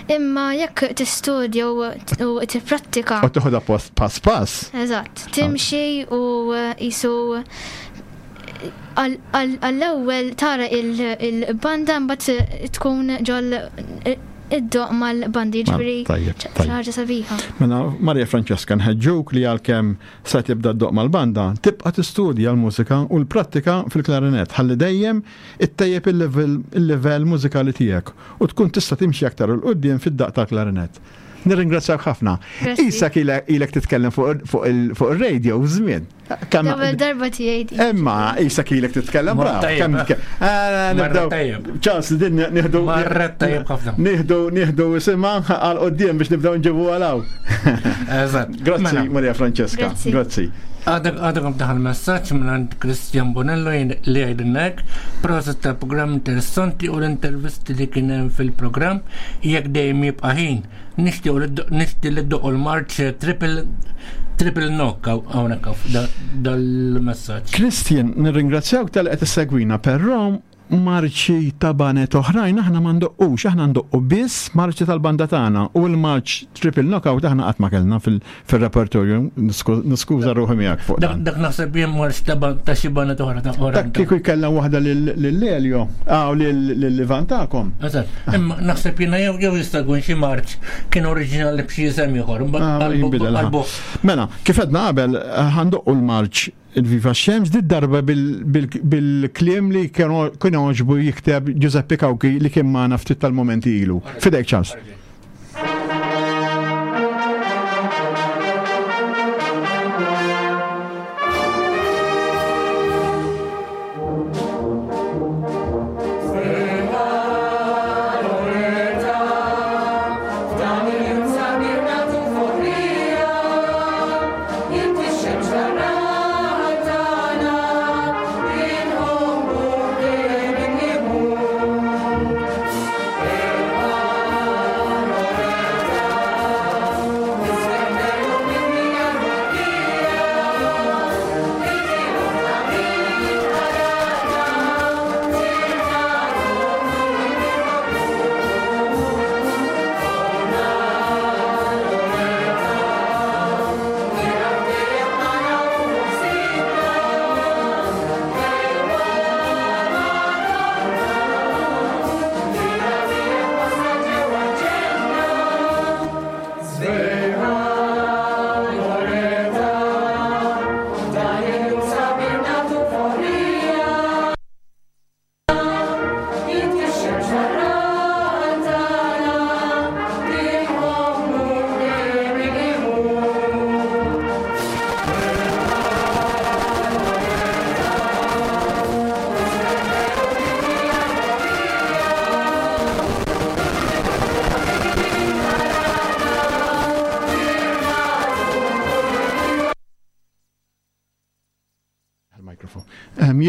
Imma jekk tistudja u tipprattika. U tieħodha pass pass. Eżatt, timxi u jisu għall-ewwel tara il-banda mbagħad tkun ġol iddoq mal-bandi ġifieri xi ħaġa sabiħa. Mela Maria Francesca nħeġġuk li għalkemm Se tibda ddoqq mal-banda, tibqa' tistudja l-mużika u l-prattika fil-klarinett ħalli dejjem ittejjeb il-livell mużikali tiegħek u tkun tista' timxi aktar 'il quddiem fid-daqq tal-klarinett. Nirringrazzjawk ħafna. Qisek ilek titkellem fuq ir-radio żmien. L-ewwel darba tiegħi din. Imma qisek ilek titkellem bravo. Nibdew. Ċans li din nieħdu. Marret tajjeb ħafna. Nieħdu nieħdu isimha għal quddiem biex nibdew nġibu għal hawn. Eżatt. Grazzi Mela. Maria Francesca. Grazzi. Grazzi. Għadek għadek daħal messaġġ minn Christian Bonello li jgħidilna hekk, proset tal-programm interessanti u l-intervisti li kien hemm fil-programm jekk dejjem jibqa' ħin. Nixtiequ li li ddoqqu l-marċ triple triple knock hawnhekk dal-messaġġ. Christian, nirringrazzjawk tal qed issegwina, però marċi ta' banet oħrajn aħna ma ndoqqux, aħna ndoqqu biss marċi tal-banda tagħna u l-marċ triple knockout aħna qatt ma kellna fil-repertorju, niskuża ruħi miegħek fuq dan. Dak naħseb jien marċ ta' xi banet oħra ta' oħra. Dak kieku jkellem waħda lil Elio, aw lil Ivan tagħkom. Eżatt, imma naħseb jiena jew jew jista' jkun xi marċ kien oriġinali b'xi isem ieħor, ah, qalbu. Mela, kif għedna qabel eh, ħandoqqu l-marċ il-Viva Xemx di darba bil-kliem li kien għoġbu jikteb Giuseppe Cauchi li kien magħna ftit tal-momenti ilu. Fidejk ċans.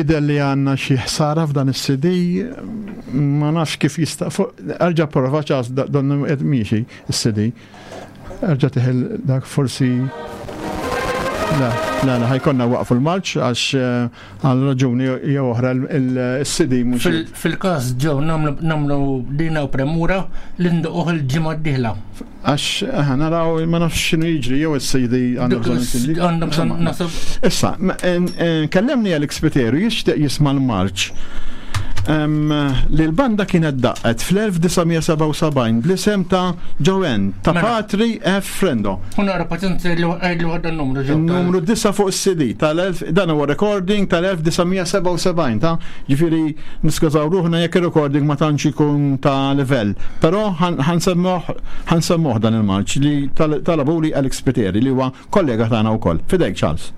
Jidher li għandna xi ħsara f'dan is-CD, ma nafx kif jista' erġa' prova ċas donnu qed miexi is-CD. Erġa' tiħel dak forsi La, la, la, ħajkonna waqfu l-marċ għax eh, għal raġuni jew oħra il-CD mhux. Fil-każ ġew nagħmlu dina u premura li ndoqquh il-ġimgħa d-dieħla. Għax eh, naraw ma nafx x'inhu jiġri jew is-CD għandna bżonn CD. Għandna bżonn nasib. Issa, kellemni Alex Piteru jixtieq jisma' l-marċ li l-banda kienet daqqet fl-1977 bl-isem ta' Joanne ta' mela. Patri F. Frendo. U nara paċenzja li għadda n-numru ġew. Numru 9 fuq is-CD tal-1000 dan huwa recording tal-1977 ta' ġifieri niskużaw ruħna jekk ir-recording ma tantx ikun ta' livell. Però ħansemmuh dan il-marċ li talabuli Alex Spiteri li huwa kollega tagħna wkoll. Fidejk Charles.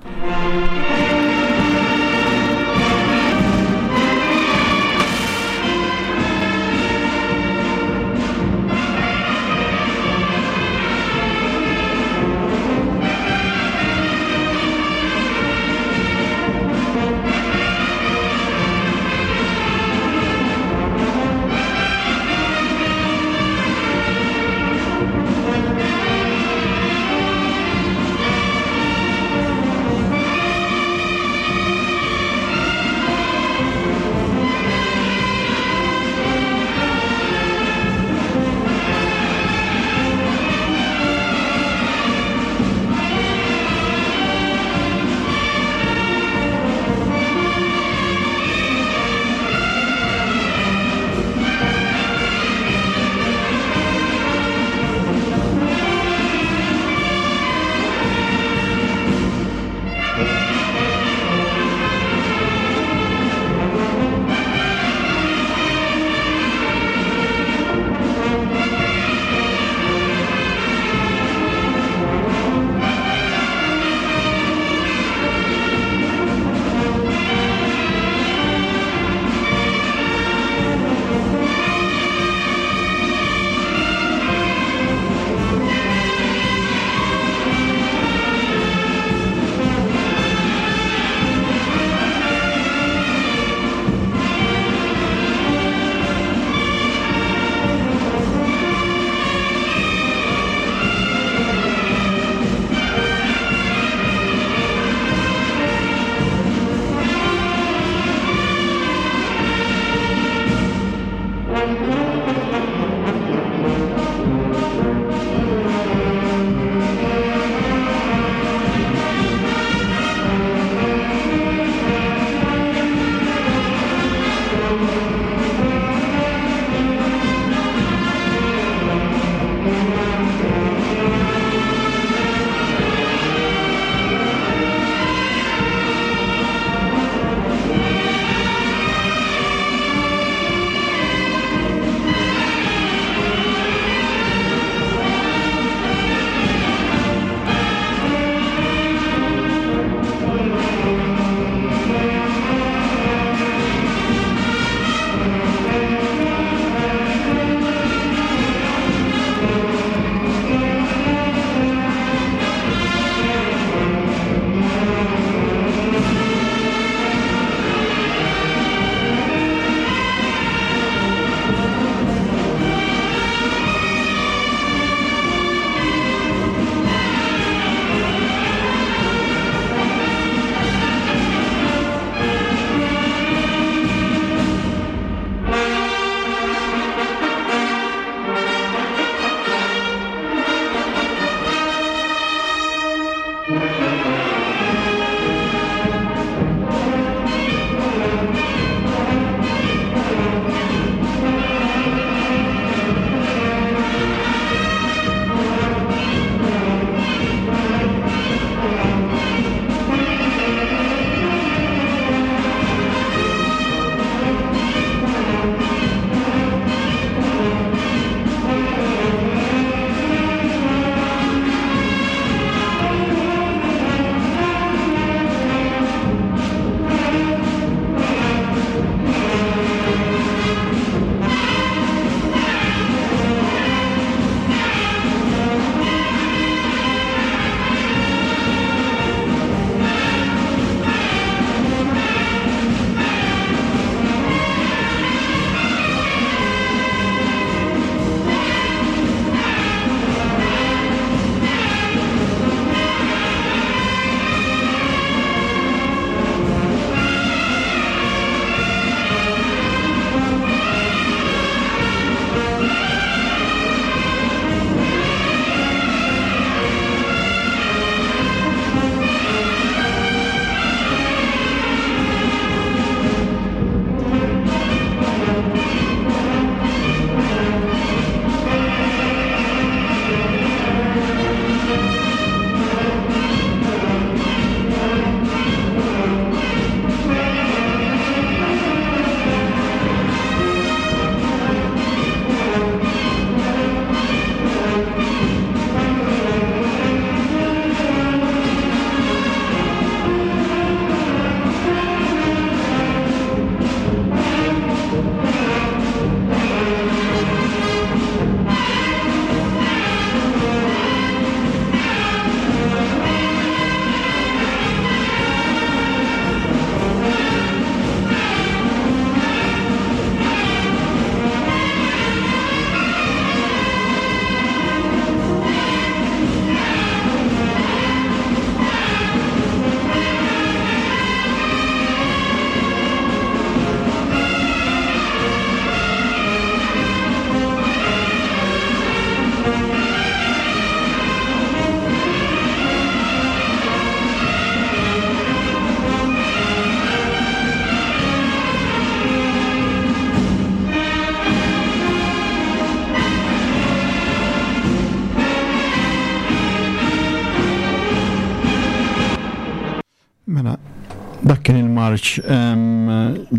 il-marċ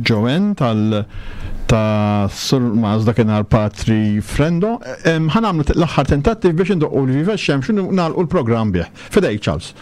Joanne tal ta' Sur Maz dakinhar Patri Frendo. Ħa nagħmlu l-aħħar tentattiv biex indoqqu l-Viva x-Xemx u nagħlqu l-programm bih. Fidejk Charles.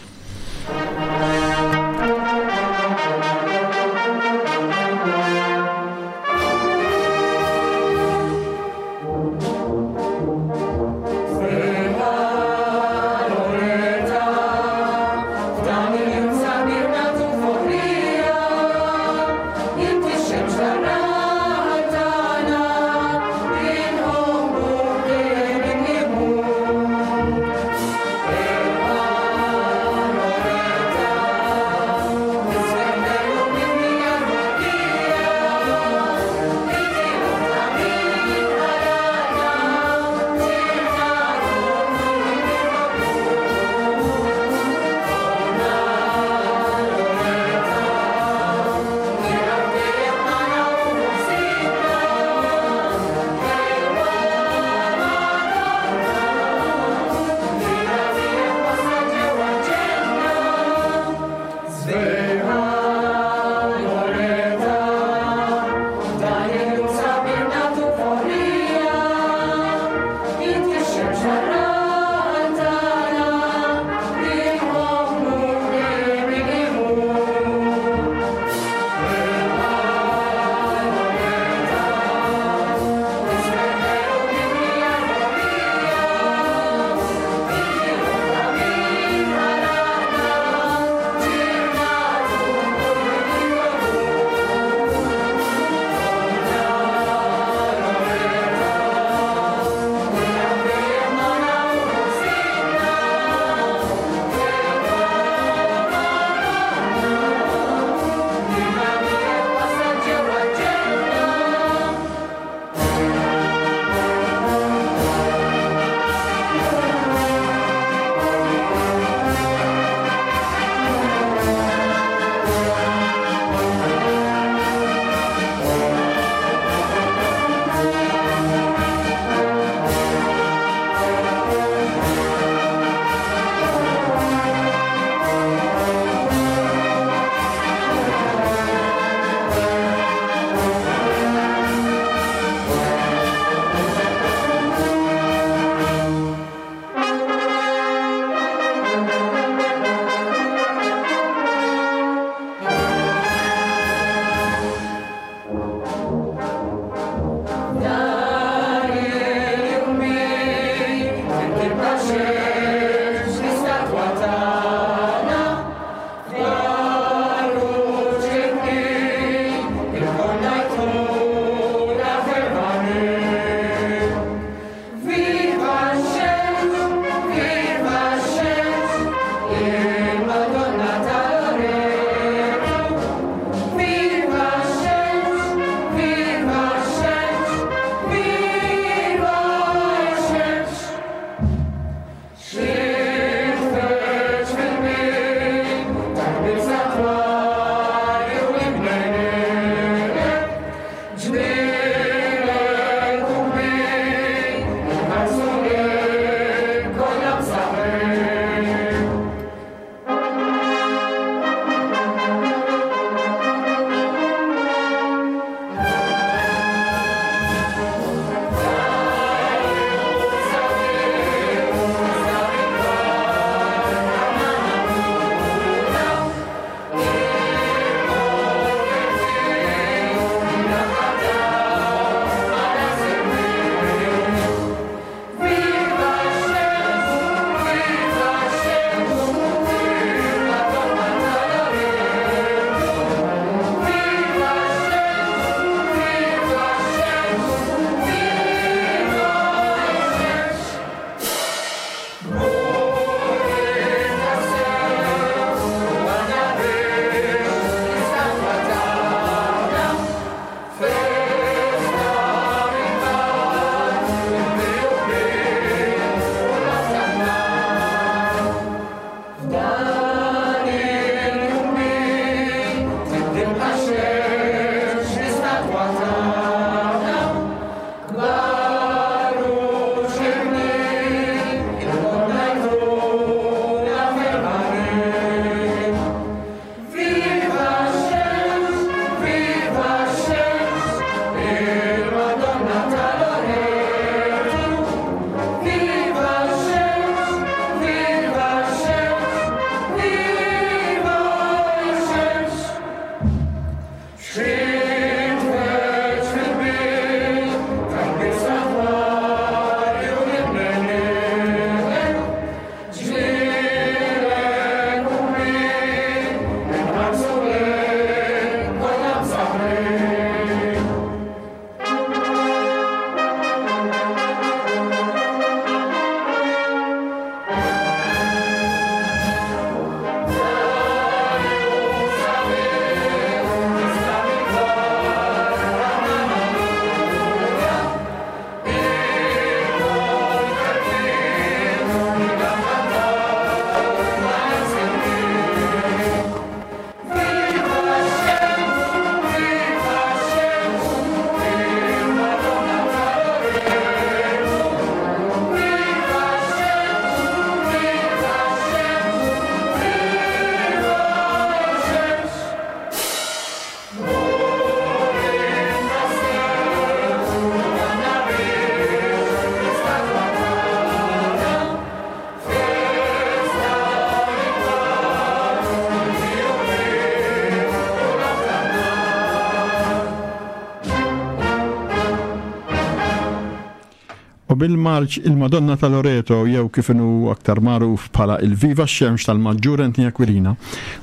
U bil-marċ il-Madonna ta' Loreto jew kif inhu aktar magħruf bħala il-Viva x-Xemx tal-Maġġur Anthony Aquilina,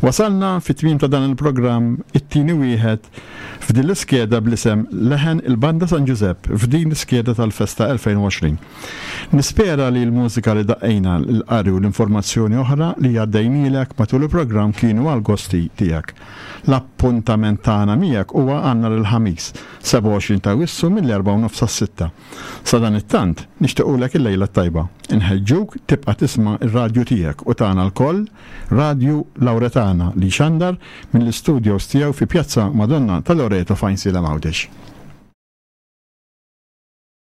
wasalna fit-tmiem ta' dan il-programm it-tieni wieħed f'din l-iskeda bl-isem Leħen il-Banda San Ġużepp f'din l-iskeda tal-Festa 2020. Nispera li l-mużika li daqqejna, l-qari u l-informazzjoni oħra li għaddejnielek matul il-programm kienu għall-gosti tiegħek. L-appuntament tagħna miegħek huwa għal nhar il-Ħamis, 27 ta' Awwissu mill-erbgħa u nofs sas-sitta. Sadanittant, nixtiequlek il-lejla t-tajba. Inħeġġuk tibqa' tisma' r-radju tiegħek u tagħna lkoll, Radju Lauretana li jxandar mill-istudios tiegħu fi Pjazza Madonna ta' Loreto f'Għajnsielem Għawdex.